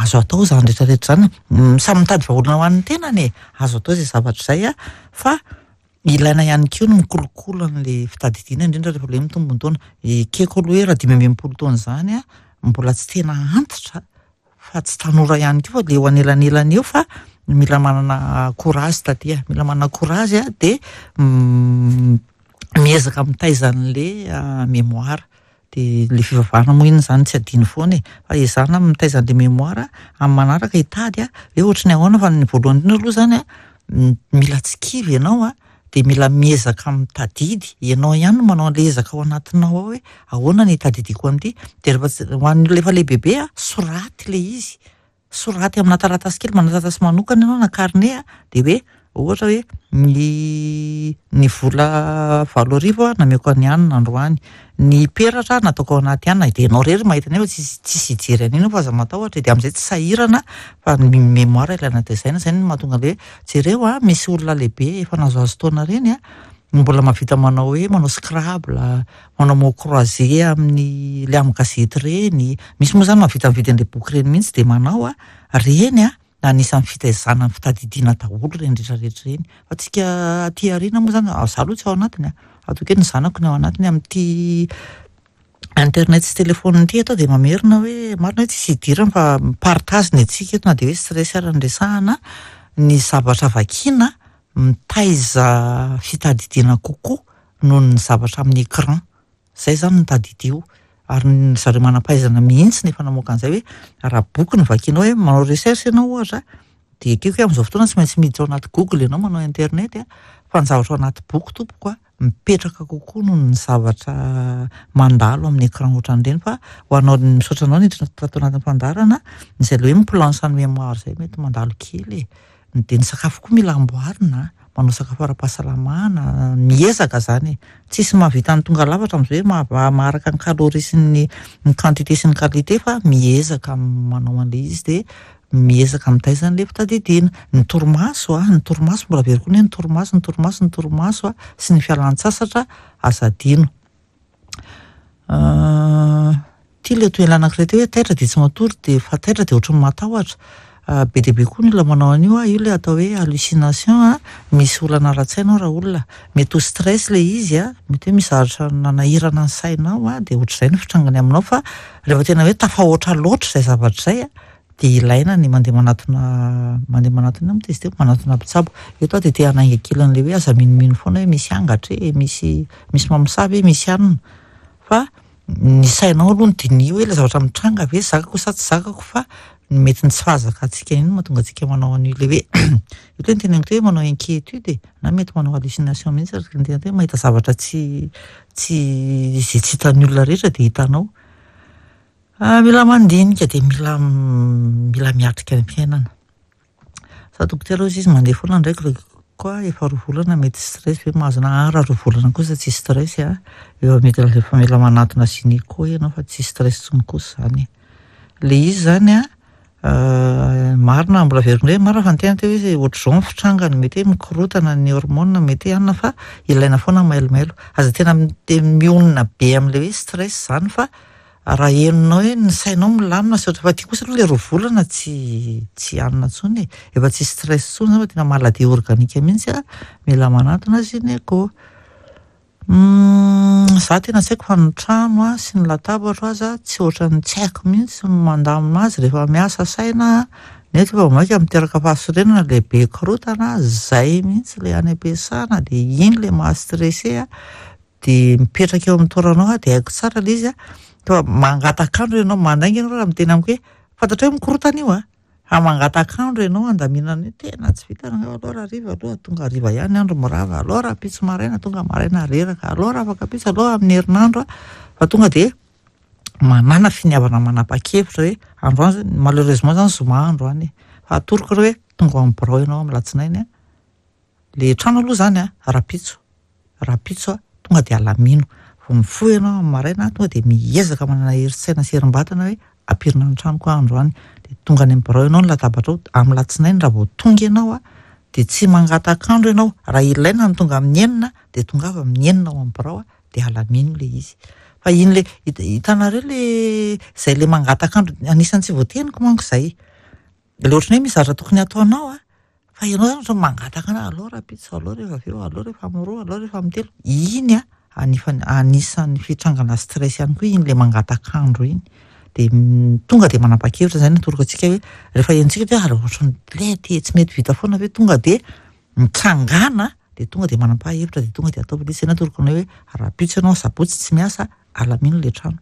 azo atao zany rehetrarehetra zany, samy mitady vahaolana ho an'ny tenany e, azo atao zay zavatra zay a, fa ilaina ihany koa ny mikolokolo an'le fitadidiana, indrindra rehefa le mitombo ny taona. Ekeko aloha hoe raha dimy ambin'ny folo taona zany a, mbola tsy tena antitra fa tsy tanora ihany koa, fa le eo anelanelany eo, fa mila manana courage taty a, mila manana courage a, de miezaka mitaiza an'le mémoire. De le fivavahana moa iny zany tsy adino foana e, fa ezahana mitaiza an'le mémoire amin'ny manaraka hitady a hoe ohatry ny ahoana. Fa ny voalohany indrindra aloha zany a, mila tsy kivy ianao a, de mila miezaka mitadidy ianao ihany no manao an'le ezaka ao anatinao ao hoe ahoana ny hitadidiako an'ity. De rehefa ho an'ny olona efa lehibebe a, soraty le izy, soraty amina taratasy kely, manana taratasy manokana ianao na carnet a, de hoe ohatra hoe ny ny vola valo arivo a nameko any anina androany, ny peratra nataoko ao anaty anina, de ianao rery mahita an'io fa tsisy tsisy hijery an'iny, fa aza matahotra, de amin'izay tsy sahirana. Fa ny mémoire ilaina tezaina, zay no mahatonga le hoe jereo a, misy olona lehibe efa nahazoazo taona reny a, mbola mahavita manao hoe manao scrabble, manao mot croisé amin'ny le amin'ny gazety reny, misy moa zany mahavita mividy an'le boky reny mihitsy de manao a reny a, anisan'ny fitaizana ny fitadidiana daholo reny rehetrarehetra reny. Fa tsika aty aoriana moa zany, za aloha tsy ao anatiny a, ataoko hoe ny zanako ny ao anatiny amin'ity internet sy téléphone ity atao. De mamerina hoe marina hoe tsisy idirana fa partage ny antsika eto, na de hoe stress ara ny resahana, ny zavatra vakiana mitaiza fitadidiana kokoa noho ny zavatra amin'ny écran. Zay zany no tadidio, ary ny zareo manam-pahaizana mihitsy nefa namoaka an'izay hoe raha boky no vakianao, hoe manao recherche ianao ohatra, de ekeko hoe amin'izao fotoana tsy maintsy miditra ao anaty Google ianao, manao internet a, fa ny zavatra ao anaty boky tompoko a mipetraka kokoa noho ny zavatra mandalo amin'ny écran ohatran'ireny. Fa ho anao, misaotra anao niditra tato anatin'ny fandaharana, izay le hoe mi-planche ny mémoire zay mety mandalo kely e. De ny sakafo koa mila amboarina, manao sakafo ara-pahasalamana, miezaka zany e, tsisy mahavita ny tonga lafatra amin'izay hoe ma- maharaka ny calorie sy ny ny quantité sy ny qualité, fa miezaka manao an'le izy, de miezaka mitaiza an'le fitadidiana. Ny torimaso a, ny torimaso mbola averiko ny hoe ny torimaso, ny torimaso, ny torimaso a, sy ny fialan-tsasatra aza adino. Ty le toy anankiray teo hoe taitra de tsy matory, de fa taitra de ohatry ny matahotra be dia be koa ny olona manao an'io a, io le atao hoe hallucination a, misy olana ara-tsaina ao raha olona, mety ho stress le izy a, mety hoe misy zavatra nanahirana ny sainao a, de ohatr'izay ny fitrangany aminao. Fa rehefa tena hoe tafahoatra loatra izay zavatra izay a, de ilaina ny mandeha manatona, mandeha manatona moa izy teo, manatona mpitsabo. Eto aho de te hanainga kely an'le hoe aza minomino foana hoe misy angatra e, misy misy mamosavy e, misy anona, fa ny sainao aloha no diniho hoe le zavatra mitranga ve zakako sa tsy zakako. Fa mety ny tsy fahazakantsika iny no mahatonga antsika manao an'io le hoe io le ny teneniko teo hoe manao inquiétude, na mety manao hallucination mihitsy, araka ny tena hoe mahita zavatra tsy tsy izay tsy hitan'ny olona rehetra de hitanao. Mila mandinika, de mila mila miatrika ny fiainana. Sa dokotera hozy izy mandeha foana ndraiky koa efa roa volana, mety stress ve mahazo na raha roa volana kosa tsy stress a, efa mety efa mila manatona gynéco ianao fa tsy stress intsony kosa zany le izy zany a. Marina, mbola averiko indray, marina fa ny tena teo izy ohatr'izao ny fitrangany, mety hoe mikorotana ny hormone, mety hoe anona, fa ilaina foana mailomailo. Aza tena mionona be amin'ilay hoe stress zany, fa raha henonao hoe ny sainao milamina sy ohatra, fa ty kosa aloha le roa volana tsy tsy anona intsony e, efa tsy stress intsony zany fa tena maladie organique mihitsy a, mila manantona gynéco. Za tena tsy haiko fa ny trano a sy ny latabatro aza tsy ohatran'ny tsy haiko mihitsy ny mandamina azy rehefa miasa saina, nefa vao mainka miteraka fahasorenana le be korotana zay mihitsy le any am-piasana, de iny le maha-stressé a, de mipetraka eo amin'ny toeranao a, de haiko tsara le izy a, fa mangatak'andro ianao, mandainga ianao raha miteny amiko hoe fantatra hoe mikorotana io a, fa mangatak'andro ianao andaminana io, tena tsy vita aloha raha hariva aloha, tonga hariva ihany andro mirava, aloha rahampitso maraina, tonga maraina reraka, aloha raha afaka ampitso, aloha amin'ny herinandro a, fa tonga de manana finiavana manapa-kevitra hoe androany zany, malheureusement zany zoma androany e, fa atoroko reo hoe tonga ao amin'ny birao ianao amin'ny latsinainy a, le trano aloha zany a, rahampitso, rahampitso a, tonga de alamino, vao mifoha ianao amin'ny maraina, tonga de miezaka manana herin-tsaina sy herim-batana hoe ampirina ny tranoko androany, de tonga any amin'ny birao ianao ny latabatra ao amin'ny latsinainy, raha vao tonga ianao a, de tsy mangatak'andro ianao, raha ilaina ny tonga amin'ny enina, de tonga avy amin'ny enina ao amin'ny birao a, de alamino le izy. Fa iny le hitanareo le zay le mangatak'andro, anisan'ny tsy voateniko manko zay, le ohatran'ny hoe misy zavatra tokony ataonao a, fa ianao zany ohatra mangataka aloha rahampitso, aloha rehefa avy eo, aloha rehefa amin'ny roa, aloha rehefa amin'ny telo, iny a anifa- anisan'ny fitrangana stress ihany koa iny le mangatak'andro iny. De tonga de manapa-kevitra zay no atoroko antsika hoe rehefa henontsika hoe ary ohatran'ny le ty tsy mety vita foana ve, tonga de mitsangana, de tonga de manapa-hevitra, de tonga de ataovy le izy. Zay no atoroko anao hoe rahampitso ianao sabotsy tsy miasa, alamino le trano,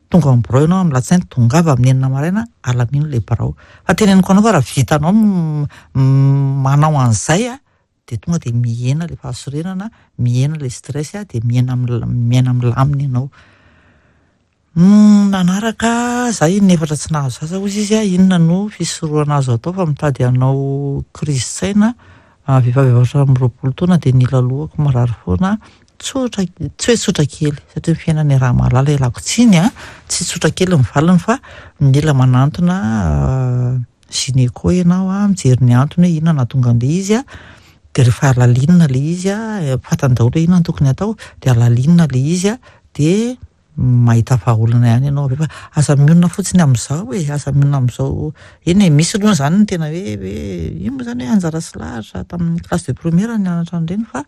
tonga ao amin'ny birao ianao amin'ny latsinainy, tongava amin'ny enina maraina, alamino le birao. Fa teneniko anao fa raha vitanao manao an'izay a, de tonga de mihena le fahasorenana, mihena le stress a, de mihena miaina milamina ianao. Manaraka za iny efatra tsy nahazo zaza hozy izy a, inona no fisorohana azo atao fa mitady hanao krizy saina, vehivavy efatra amby roapolo taona de nila lohako marary foana, tsotra, tsy hoe tsotra kely satria ny fiainana raha mahalala ialako tsiny a, tsy tsotra kely ny valiny fa mila manantona gynéco ianao a, mijery ny antony hoe inona nahatonga an'le izy a, de rehefa alalinina le izy a, fantany daholo hoe inona no tokony atao, de alalinina le izy a, de mahita vahaolana ihany ianao avy eo, fa aza mionona fotsiny amin'izao e, aza mionona amin'izao. Eny e, misy aloha zany ny tena hoe hoe ino moa zany hoe anjara sy lahatra tamin'ny classe de première nianatra an'ireny, fa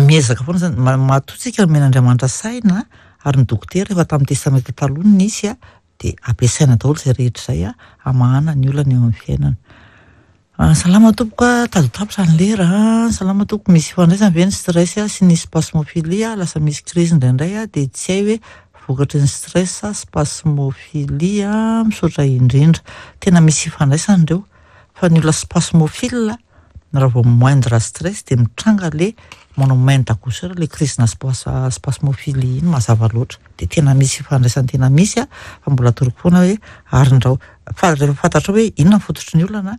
miezaka foana zany, matoa tsika nomen'Andriamanitra saina ary ny dokotera efa tamin'ny testamenta taloha no nisy a, de ampiasaina daholo izay rehetra izay a, hamahana ny olana eo amin'ny fiainana. Salama tompoko a, tady ho tapitra ny lera. Salama tompoko, misy ifandraisany ve ny stress sy ny spasmophilie? Lasa misy crise indraindray a, de tsy hay hoe vokatry ny stress spasmophilie. Misaotra indrindra. Tena misy ifandraisany ireo, fa ny olona spasmophile raha vao moindre stress de mitranga le manao main d'accoucheur, le crise na spasmophilie iny mazava loatra, de tena misy ifandraisany, tena misy a, fa mbola atoroko foana hoe arindrao, fa rehefa fantatrao hoe inona ny fototry ny olana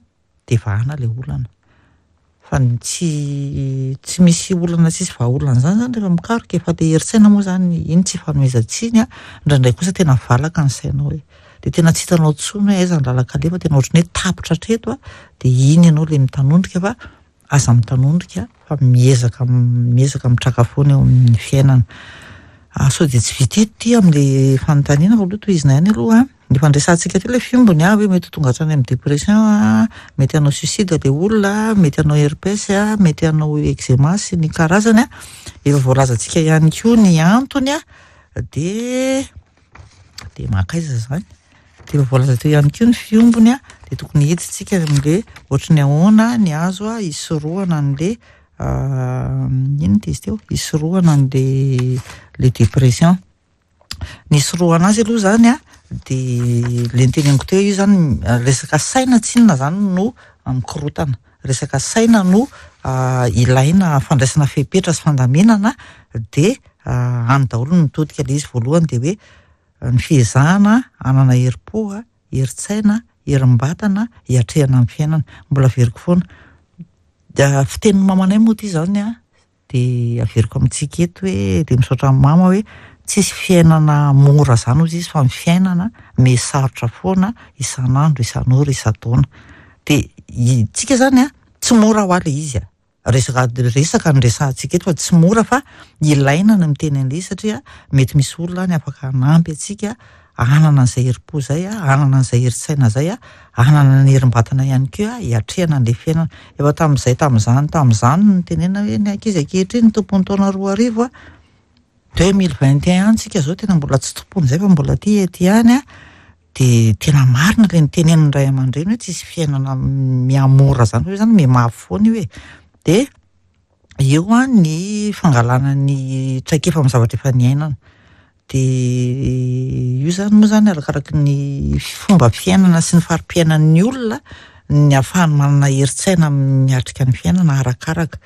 de vahana le olana, fa ny tsy tsy misy olana tsisy vahaolana zany zany rehefa mikaroka, efa le herin-tsaina moa zany iny tsy fanomezan-tsiny a, indraindray kosa tena valaka ny sainao hoe de tena tsy hitanao intsony hoe aiza ny lalan-kalefa, tena ohatran'ny hoe tapitra hatreto a, de iny ianao le mitanondrika, fa aza mitanondrika fa miezaka miezaka mitraka foana eo amin'ny fiainana. Sao de tsy vita eto ty amin'le fanontaniana fa aloha tohizina ihany aloha. Ny fandraisantsika teo le fiombony a, hoe mety ho tonga hatrany amin'ny dépression a, mety hanao suicide le olona, mety hanao herpès a, mety hanao eczéma sy ny karazany a. Efa voalazantsika ihany koa ny antony a, de de mankaiza zany. De efa voalaza teo ihany koa ny fiombony a, de tokony hiditsika amin'le ohatry ny ahoana ny azo a hisorohana an'le inona ty izy teo, hisorohana an'le le dépression. Ny hisorohana azy aloha zany a, de le niteneniko teo io zany, resaka saina tsinona zany no mikorotana, resaka saina no ilaina fandraisana fepetra sy fandaminana, de any daholo no mitodika le izy. Voalohany de hoe ny fiezahana hanana herim-po, herin-tsaina, herim-batana hiatrehana amin'ny fiainana. Mbola averiko foana, fitenin'ny mamanay moa ty zany a, de averiko amintsika eto hoe de misaotra amin'ny mama hoe Tsisy fiainana mora zany ozy izy, fa ny fiainana me sarotra foana isan'andro, isan'ora, isan-taona. De tsika zany a, tsy mora ho a le izy a, resaka resaka ny resahantsika eto fa tsy mora, fa ilaina ny miteny an'le izy satria mety misy olona any afaka hanampy antsika hanana an'izay herim-po zay a, hanana an'izay herin-tsaina zay a, hanana ny herim-batana ihany koa hiatrehana an'le fiainana. Efa tamin'izay tamin'izany tamin'izany no tenena hoe ny ankizy ankehitriny tompon'ny taona roa arivo a, deux mille vingt et un tsika zao tena mbola tsy tompony zay fa mbola ty ety ihany a. De tena marina le nitenenin'ny ray aman-dreny hoe tsisy fiainana mihamora zany, fa io zany mihamafy foana io e. De eo a ny fangalana ny traikefa amin'ny zavatra efa niainana. De io zany moa zany arakaraky ny fomba fiainana sy ny fari-piainan'ny olona ny ahafahany manana herin-tsaina miatrika ny fiainana arakaraka.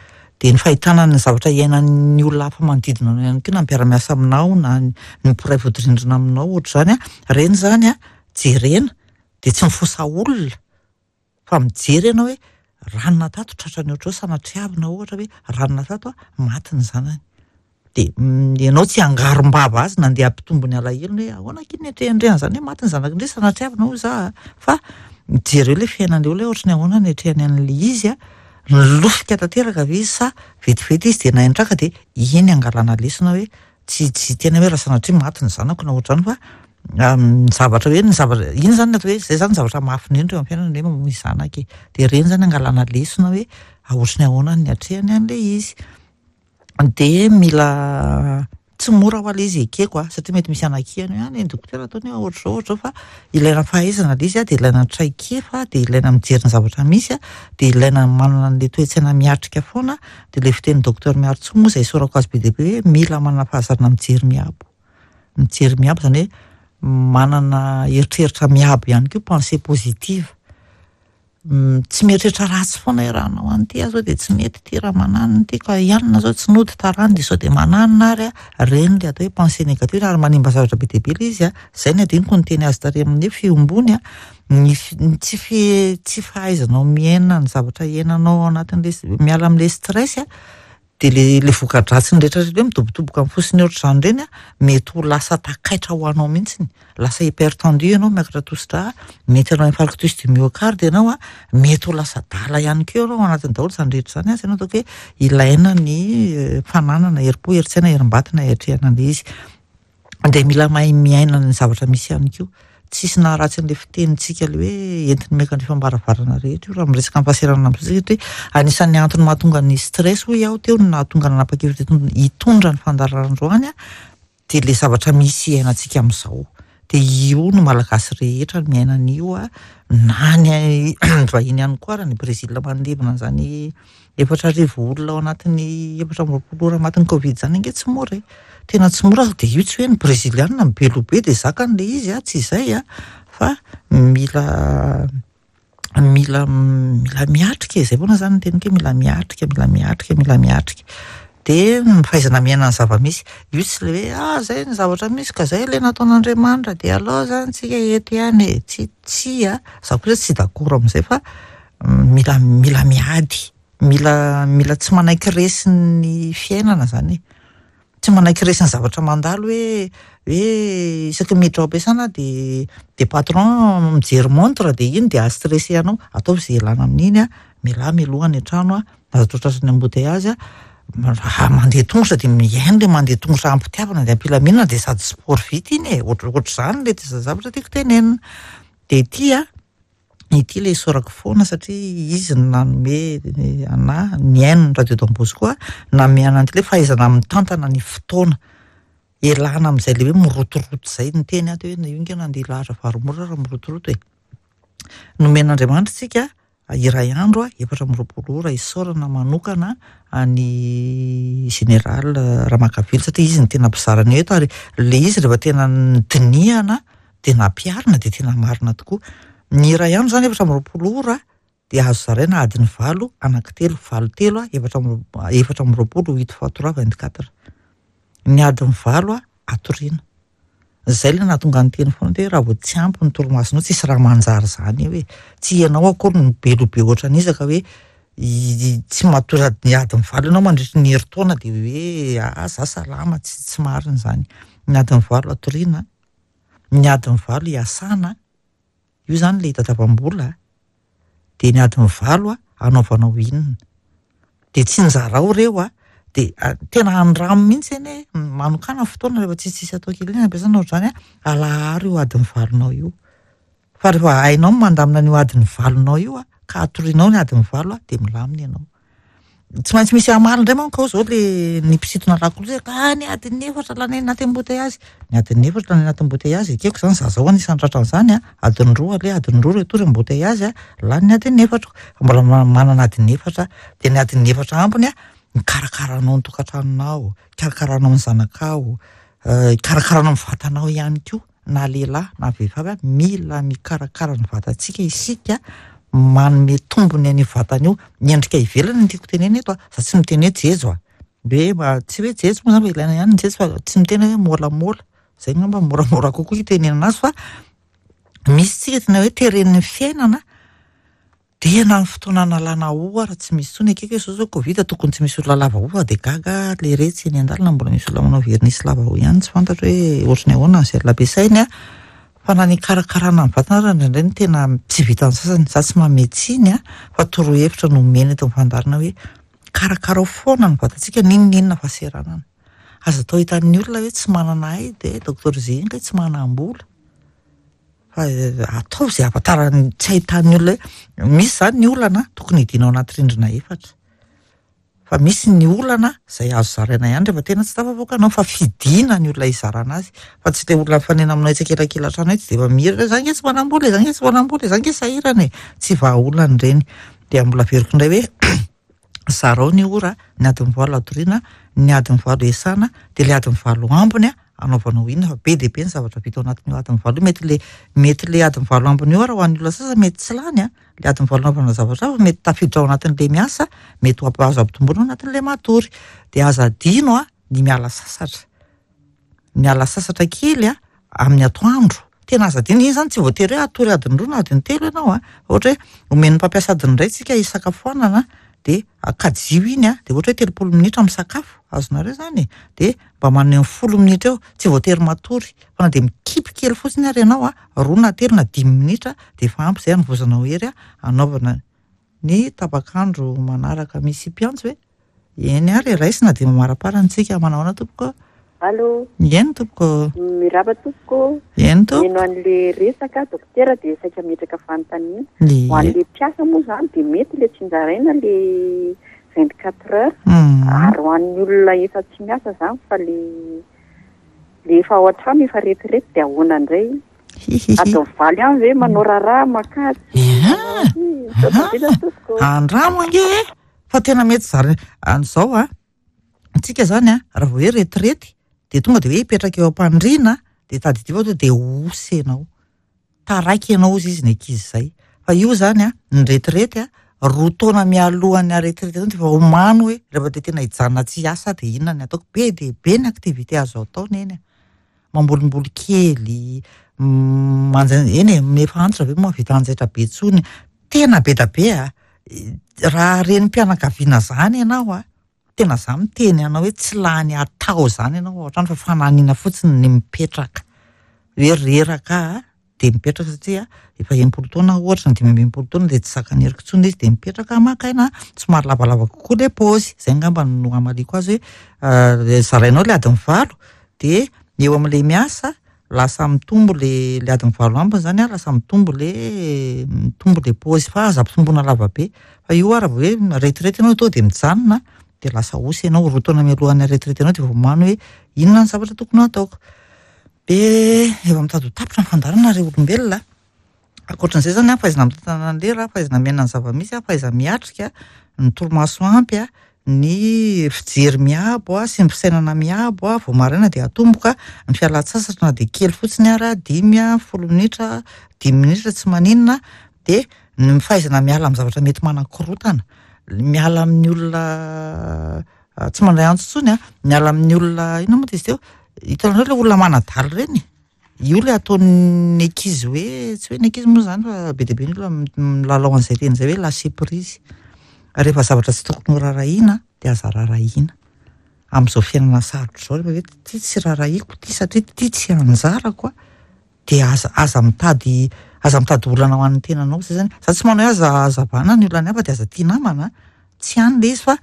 De ny fahitana ny zavatra iainan'ny olona hafa manodidina anao ihany koa, na mpiara-miasa aminao na ny mpiray vodirindrina aminao ohatr'izany a, reny zany a jerena de tsy mifosa olona fa mijery ianao hoe ranona tato tratrany ohatr'izao, sanatriavina ohatra hoe ranona tato a maty ny zanany. De ianao tsy hangarom-bava azy nandeha hampitombo ny alahelony hoe ahoana aky ny atrehandrehana zany hoe maty ny zanako indray, sanatriavina hoy za, fa jereo le fiainan'le olona hoe ohatry ny ahoana ny atrehany an'le izy a, nilofika tanteraka ve izy sa vetivety izy de nahay de iny angalana lesona hoe tsy tsy tena hoe raha sanatria maty ny zanako na ohatr'izany, fa ny zavatra hoe ny zavatra iny zany atao hoe zay zany zavatra mafy indrindra eo amin'ny fiainana hoe mamoy zanaka e. De reny zany angalana lesona hoe ohatry ny ahoana ny atrehany an'le izy. De mila tsy mora ho ale izy ekeko a, satria mety misy anakihany hoe any dokotera ataony hoe ohatr'izao ohatr'izao, fa ilaina fahaizana le izy a, de ilaina traikefa, de ilaina mijery ny zavatra misy a, de ilaina manana an'le toe-tsaina miatrika foana. De le fitenin'ny docteur Miarintsoa moa izay isaorako azy be dia be hoe mila manana fahazarana mijery miabo, mijery miabo zany hoe manana eritreritra miabo ihany koa, pensée positive, tsy mieritreritra ratsy foana hoe raha hanao an'ity aho zao de tsy mety ty, raha mananona ty ka ianona zao tsy nody tarany de sao de mananona ary a, reny le atao hoe pensée négative ary manimba zavatra be dia be le izy a. Zay ny adinoko niteny azy tary amin'ny fiombony a, ny tsy fi tsy fahaizanao miaina ny zavatra iainanao ao anatin'le miala amin'le stress a, de le le voka-dratsiny rehetra rehetra hoe midobodoboka amin'ny fosiny ohatr'izany reny a, mety ho lasa takaitra ho anao mihitsiny, lasa hypertendu ianao, miakatra tosidra, mety hanao infarctus du myocarde ianao a, mety ho lasa dala ihany koa ianao ao anatin'ny daholo zany rehetra zany a. Zay no ataoko hoe ilaina ny fananana herim-po, herin-tsaina, herim-batana hiatrehana an'le izy. De mila mahay miaina ny zavatra misy ihany koa. Tsisy naharatsy an'le fitenintsika le hoe entiny miakatra fambaravarana rehetra io raha miresaka amin'ny fahasahiranana amin'izay, satria anisan'ny antony mahatonga ny stress hoy aho teo no nahatonga nanapa-kevitra hitondra ny fandaharana androany a, de le zavatra misy iainantsika amin'izao. De io no malagasy rehetra miaina an'io a, na ny vahiny ihany koa, raha ny Brésil mandevina an'izany efatra arivo olona ao anatin'ny efatra amby roapolo ora matin'ny Covid zany ange tsy mora e, tena tsy mora. De io tsy hoe ny brésilianina be loha be de zakany le izy a, tsy izay a, fa mila mila mila miatrika e. Zay foana zany ny teniko hoe mila miatrika, mila miatrika, mila miatrika. De ny fahaizana miaina ny zava-misy io tsy le hoe ah zay ny zavatra misy ka zay le nataon'Andriamanitra de alao zany tsika eto ihany e, tsy tsy a, za kosa tsy d'accord amin'izay, fa mila mila miady, mila mila tsy manaiky resy ny fiainana zany e, tsy manaiky resy ny zavatra mandalo hoe hoe isaky miditra ao am-piasana de de patron mijery montre de iny de astressé anao, ataovy zay ialana amin'iny a, mialà mialoha any an-trano a, aza atao tratran'ny embouteillage a, raha mandeha tongotra de mihaino le mandeha tongotra am-pitiavana de am-pilaminana de sady sport vita iny e, ohatra ohatr'izany le zavatra tiako tenenina. De ity a, ity le isaorako foana satria izy no nanome anahy nihaino ny radio Don Bosco a, nanome anahy le fahaizana mitantana ny fotoana, ialana amin'izay le hoe mirotoroto zay niteny aho teo hoe io nge nandeha lahatra vary mora raha mirotoroto e. Nomen'Andriamanitra tsika iray andro a, efatra amby roapolo ora, isaorana manokana any général Ramakavelo satria izy no tena mpizara an'io eto, ary le izy rehefa tena nodinihana de nampiharina de tena marina tokoa. Ny iray andro zany efatra amby roapolo ora de azo zaraina adiny valo, anankitelo, valo telo a, efatra amby efatra amby roapolo, huit fois trois, vingt-quatre. Ny adiny valo a atoriana. Zay le nahatonga ny teny foana hoe raha vao tsy ampy ny torimasonao tsisy raha manjary zany eo e. Tsy ianao akory no be loha be ohatran'iza ka hoe Tsy matory adiny adiny valo ianao mandritry ny herintaona de hoe ah za salama, tsy tsy marina izany. Ny adiny valo atoriana, ny adiny valo iasana, io zany le hitadiavam-bola, de ny adiny valo a anaovanao inona. De tsinjarao ireo a, de tena andramo mihitsy anie, manokana fotoana rehefa tsisy tsisy atao kely iny ampiasana ohatr'izany a, alaharo io adiny valonao io. Fa rehefa hainao mandamina an'io adiny valonao io a, ka atorianao ny adiny valo a, de milamina ianao. Tsy maintsy misy hamaly indray manko ao zao le ny mpisintona lakolosy ka ny adiny efatra lany anaty embouteillage. Ny adiny efatra lany anaty embouteillage, ekeko zany za zao anisan'ny tratran'izany a, adiny roa ale, adiny roa retour embouteillage a, lany ny adiny efatra. Fa mbola manana adiny efatra, de ny adiny efatra ambiny a, mikarakaranao ny tokantranonao, ikarakaranao ny zanakao, ikarakaranao ny vatanao ihany koa, na lehilahy na vehivavy a, mila mikarakara ny vatantsika isika, manome tombony an'io vatana io. Ny endrika ivelany no tiako tenena eto a, za tsy miteny hoe jejo a, hoe tsy hoe jejo moa zany fa ilaina ihany ny jejo fa tsy miteny hoe môlamôla, zay angamba moramora kokoa hitenenana azy fa misy tsika tena hoe teren'ny fiainana de na ny fotoana analana hoho ary tsy misy intsony. Akaiky hoe zao zao Covid tokony tsy misy olona lava hoho fa de gaga le retsy eny an-dalana mbola misy olona manao vernis lava hoho ihany, tsy fantatro hoe ohatry ny ahoana ny gel ampiasainy a. Fa na ny ikarakarana ny vatana ary indraindray no tena tsy vitan'ny sasany. Za tsy manome tsiny a, fa torohevitra no omena eto amin'ny fandaharana hoe karakarao foana ny vatantsika n'inon'inona fahaseranana. Aza atao hitan'ny olona hoe tsy manana ahy de docteur Zay iny tsy manam-bola. Fa ataovy izay ahafantarany tsy ahitan'ny olona hoe misy zany ny olana tokony hidina ao anaty rindrina efatra. Fa misy ny olana izay azo zaraina ihany rehefa tena tsy tafavoaka anao, fa fidina ny olona hizarana azy. Fa tsy le olona mifanena aminao etsy ankilankilan-trano etsy de efa mihira hoe za nge tsy manam-bola e, za nge tsy manam-bola e, za nge sahirana e. Tsy vahaolana ireny. De mbola averiko indray hoe zarao ny ora, ny adiny valo atoriana, ny adiny valo iasana, de le adiny valo ambiny a anaovanao inona, fa be dia be ny zavatra vita ao anatin'io adiny valo io. Mety le mety le adiny valo ambiny io ara ho an'ny olona sasany mety tsy lany a, le adiny valo anaovana zavatra hafa mety tafiditra ao anatin'le miasa, mety ho azo ampitomboina ao anatin'le matory. De aza adino a ny miala sasatra. Miala sasatra kely a amin'ny atoandro. Tena aza adino iny zany, tsy voatery hoe atory adiny roa na adiny telo ianao a. Ohatra hoe omen'ny mpampiasa adiny iray tsika hisakafoanana de kajio iny a, de ohatra hoe telopolo minitra misakafo, azonareo zany e, de mba manome folo minitra eo, tsy voatery matory fa na de mikipy kely fotsiny ary ianao a, roa na telo na dimy minitra de efa ampy zay hanovozanao hery a anaovana ny tapak'andro manaraka. Misy mpiantso hoe eny ary raisina de mamaraparana tsika. Manao ahoana tompoko? Allô? Eny tompoko. Miraba tompoko. Eny tompoko. Mino an'le resaka dokotera de saika metraka fanontaniana. Ie. Ho an'le mpiasa moa zany de mety le tsinjaraina le vingt-quatre heures. Mm. Ary ho an'ny olona efa tsy miasa zany fa le le efa ao an-trano efa retirety de ahoana indray? Hihihi. Adiny valo ihany ve manao raharaha makajy? Ia. Misaotra indrindra tompoko. Andramo ange e. Fa tena mety zary an'izao a. Tsika zany a, raha vao hoe retirety de tonga de hoe hipetraka eo am-pandriana de tadidio fa de osy ianao. Taraiky ianao ozy izy ny ankizy izay. Fa io zany a, ny retirety a, roa taona mialohan'ny aretirety zany de efa omano hoe rehefa de tena hijanona tsy hiasa de inona ny ataoko. Be dia be ny activité azo atao neny a. Mambolimboly kely, manja eny e, efa antitra ve moa vita anjaitra be intsony. Tena be da be a. Raha renim-pianakaviana zany ianao a, tena za miteny anao hoe tsy lany atao zany ianao ao an-trano fa fananina fotsiny ny mipetraka. Hoe reraka a, de mipetraka satria efa enimpolo taona ohatra na dimy amby enimpolo taona de tsy zakan'ny heriko intsony izy de mipetraka maka aina, somary lavalava kokoa le paozy. Zay angamba no hamaliako azy hoe zarainao le adiny valo de eo amin'le miasa lasa mitombo le le adiny valo ambiny zany a, lasa mitombo le mitombo le paozy fa aza ampitomboina lava be. Fa io ara vao hoe retirety ianao tonga de mijanona de lasa osy ianao roa taona mialohan'ny retirety anao de vao omano hoe inona ny zavatra tokony ho ataoko. De efa mitady ho tapitra ny fandaharana ry olombelona. Ankoatran'izay zany a, fahaizana mitantana ny lera, fahaizana miaina ny zava-misy, fahaizana miatrika, ny torimaso ampy a, ny fijery miabo a sy ny fisainana miabo a, vao maraina de atomboka, ny fialan-tsasatra na de kely fotsiny ara, dimy a, folo minitra, dimy minitra tsy maninona, de ny fahaizana miala amin'ny zavatra mety manakorotana, miala amin'ny olona tsy mandray antso intsony a, miala amin'ny olona inona moa izy teo, hitanareo le olona manadala ireny, io le ataon'ny ankizy hoe tsy hoe ny ankizy moa zany fa be dia be ny olona milalao an'izay teny izay hoe lâcher prise. Rehefa zavatra tsy tokony ho raharahiana dia aza raharahiana. Amin'izao fiainana sarotra izao, rehefa hoe ty tsy raharahiako ty satria ty tsy anjarako a, dia aza aza mitady aza mitady olana ho an'ny tenanao. Zay zany, za tsy manao hoe aza azavana ny olana hafa dia aza tia namana, tsy any le izy, fa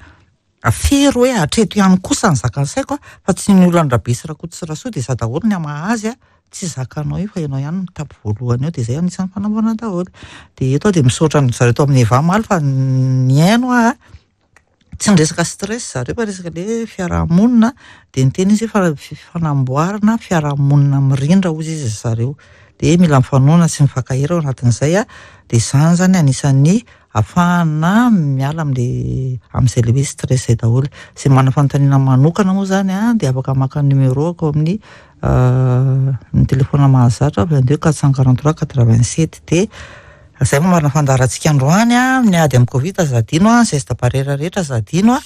afero hoe hatreto ihany kosa ny zakan'ny saiko a, fa tsy ny olana Rabe sy Rakoto sy Rasoa dia za daholo ny hamaha azy a, tsy zakanao io fa ianao ihany mitapy voalohany eo. Dia zay anisan'ny fanaovana daholo. Dia eto aho dia misaotra an zareo tao amin'ny Eva omaly fa nihaino aho, tsy niresaka stress zareo fa resaka le fiarahamonina. Dia niteny izy hoe fa fanamboarana fiarahamonina mirindra hozy izy zareo, dia mila mifanohana sy mifankahery ao anatin'izay a. Dia izany zany anisan'ny ahafahana miala am'le amin'izay le hoe stress zay daholo. Izay manana fanontaniana manokana moa zany a dia afaka maka numéro ako amin'ny ny telefona mahazatra vingt-deux quatre cent quarante-trois quatre-vingt-sept. Dia zay mamarana fandaharantsika androany a, ny ady amin'ny Covid aza adino a, geste barrière rehetra aza adino a,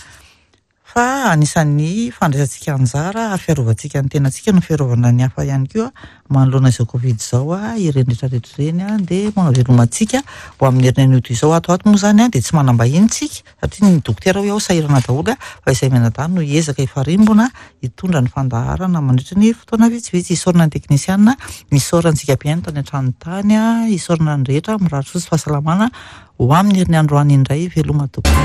fa anisan'ny fandraisantsika anjara ary fiarovantsika ny tenantsika no fiarovana ny hafa ihany koa manoloana izao Covid izao a, ireny rehetrarehetra ireny a. Dia manao velomantsika ho amin'ny herinandro toy izao. Ato ato moa zany a dia tsy manam-bahiny tsika satria ny dokotera hoe ao sahirana daholo a, fa izay mianadahy no hiezaka hifarimbona hitondra ny fandaharana mandritra ny fotoana vitsivitsy. Isaorana ny teknisiana, isaorana antsika mpihaino tany an-trano tany a, isaorana ny rehetra, mirary soa sy fahasalamana ho amin'ny herinandro any indray. Veloma tompoko.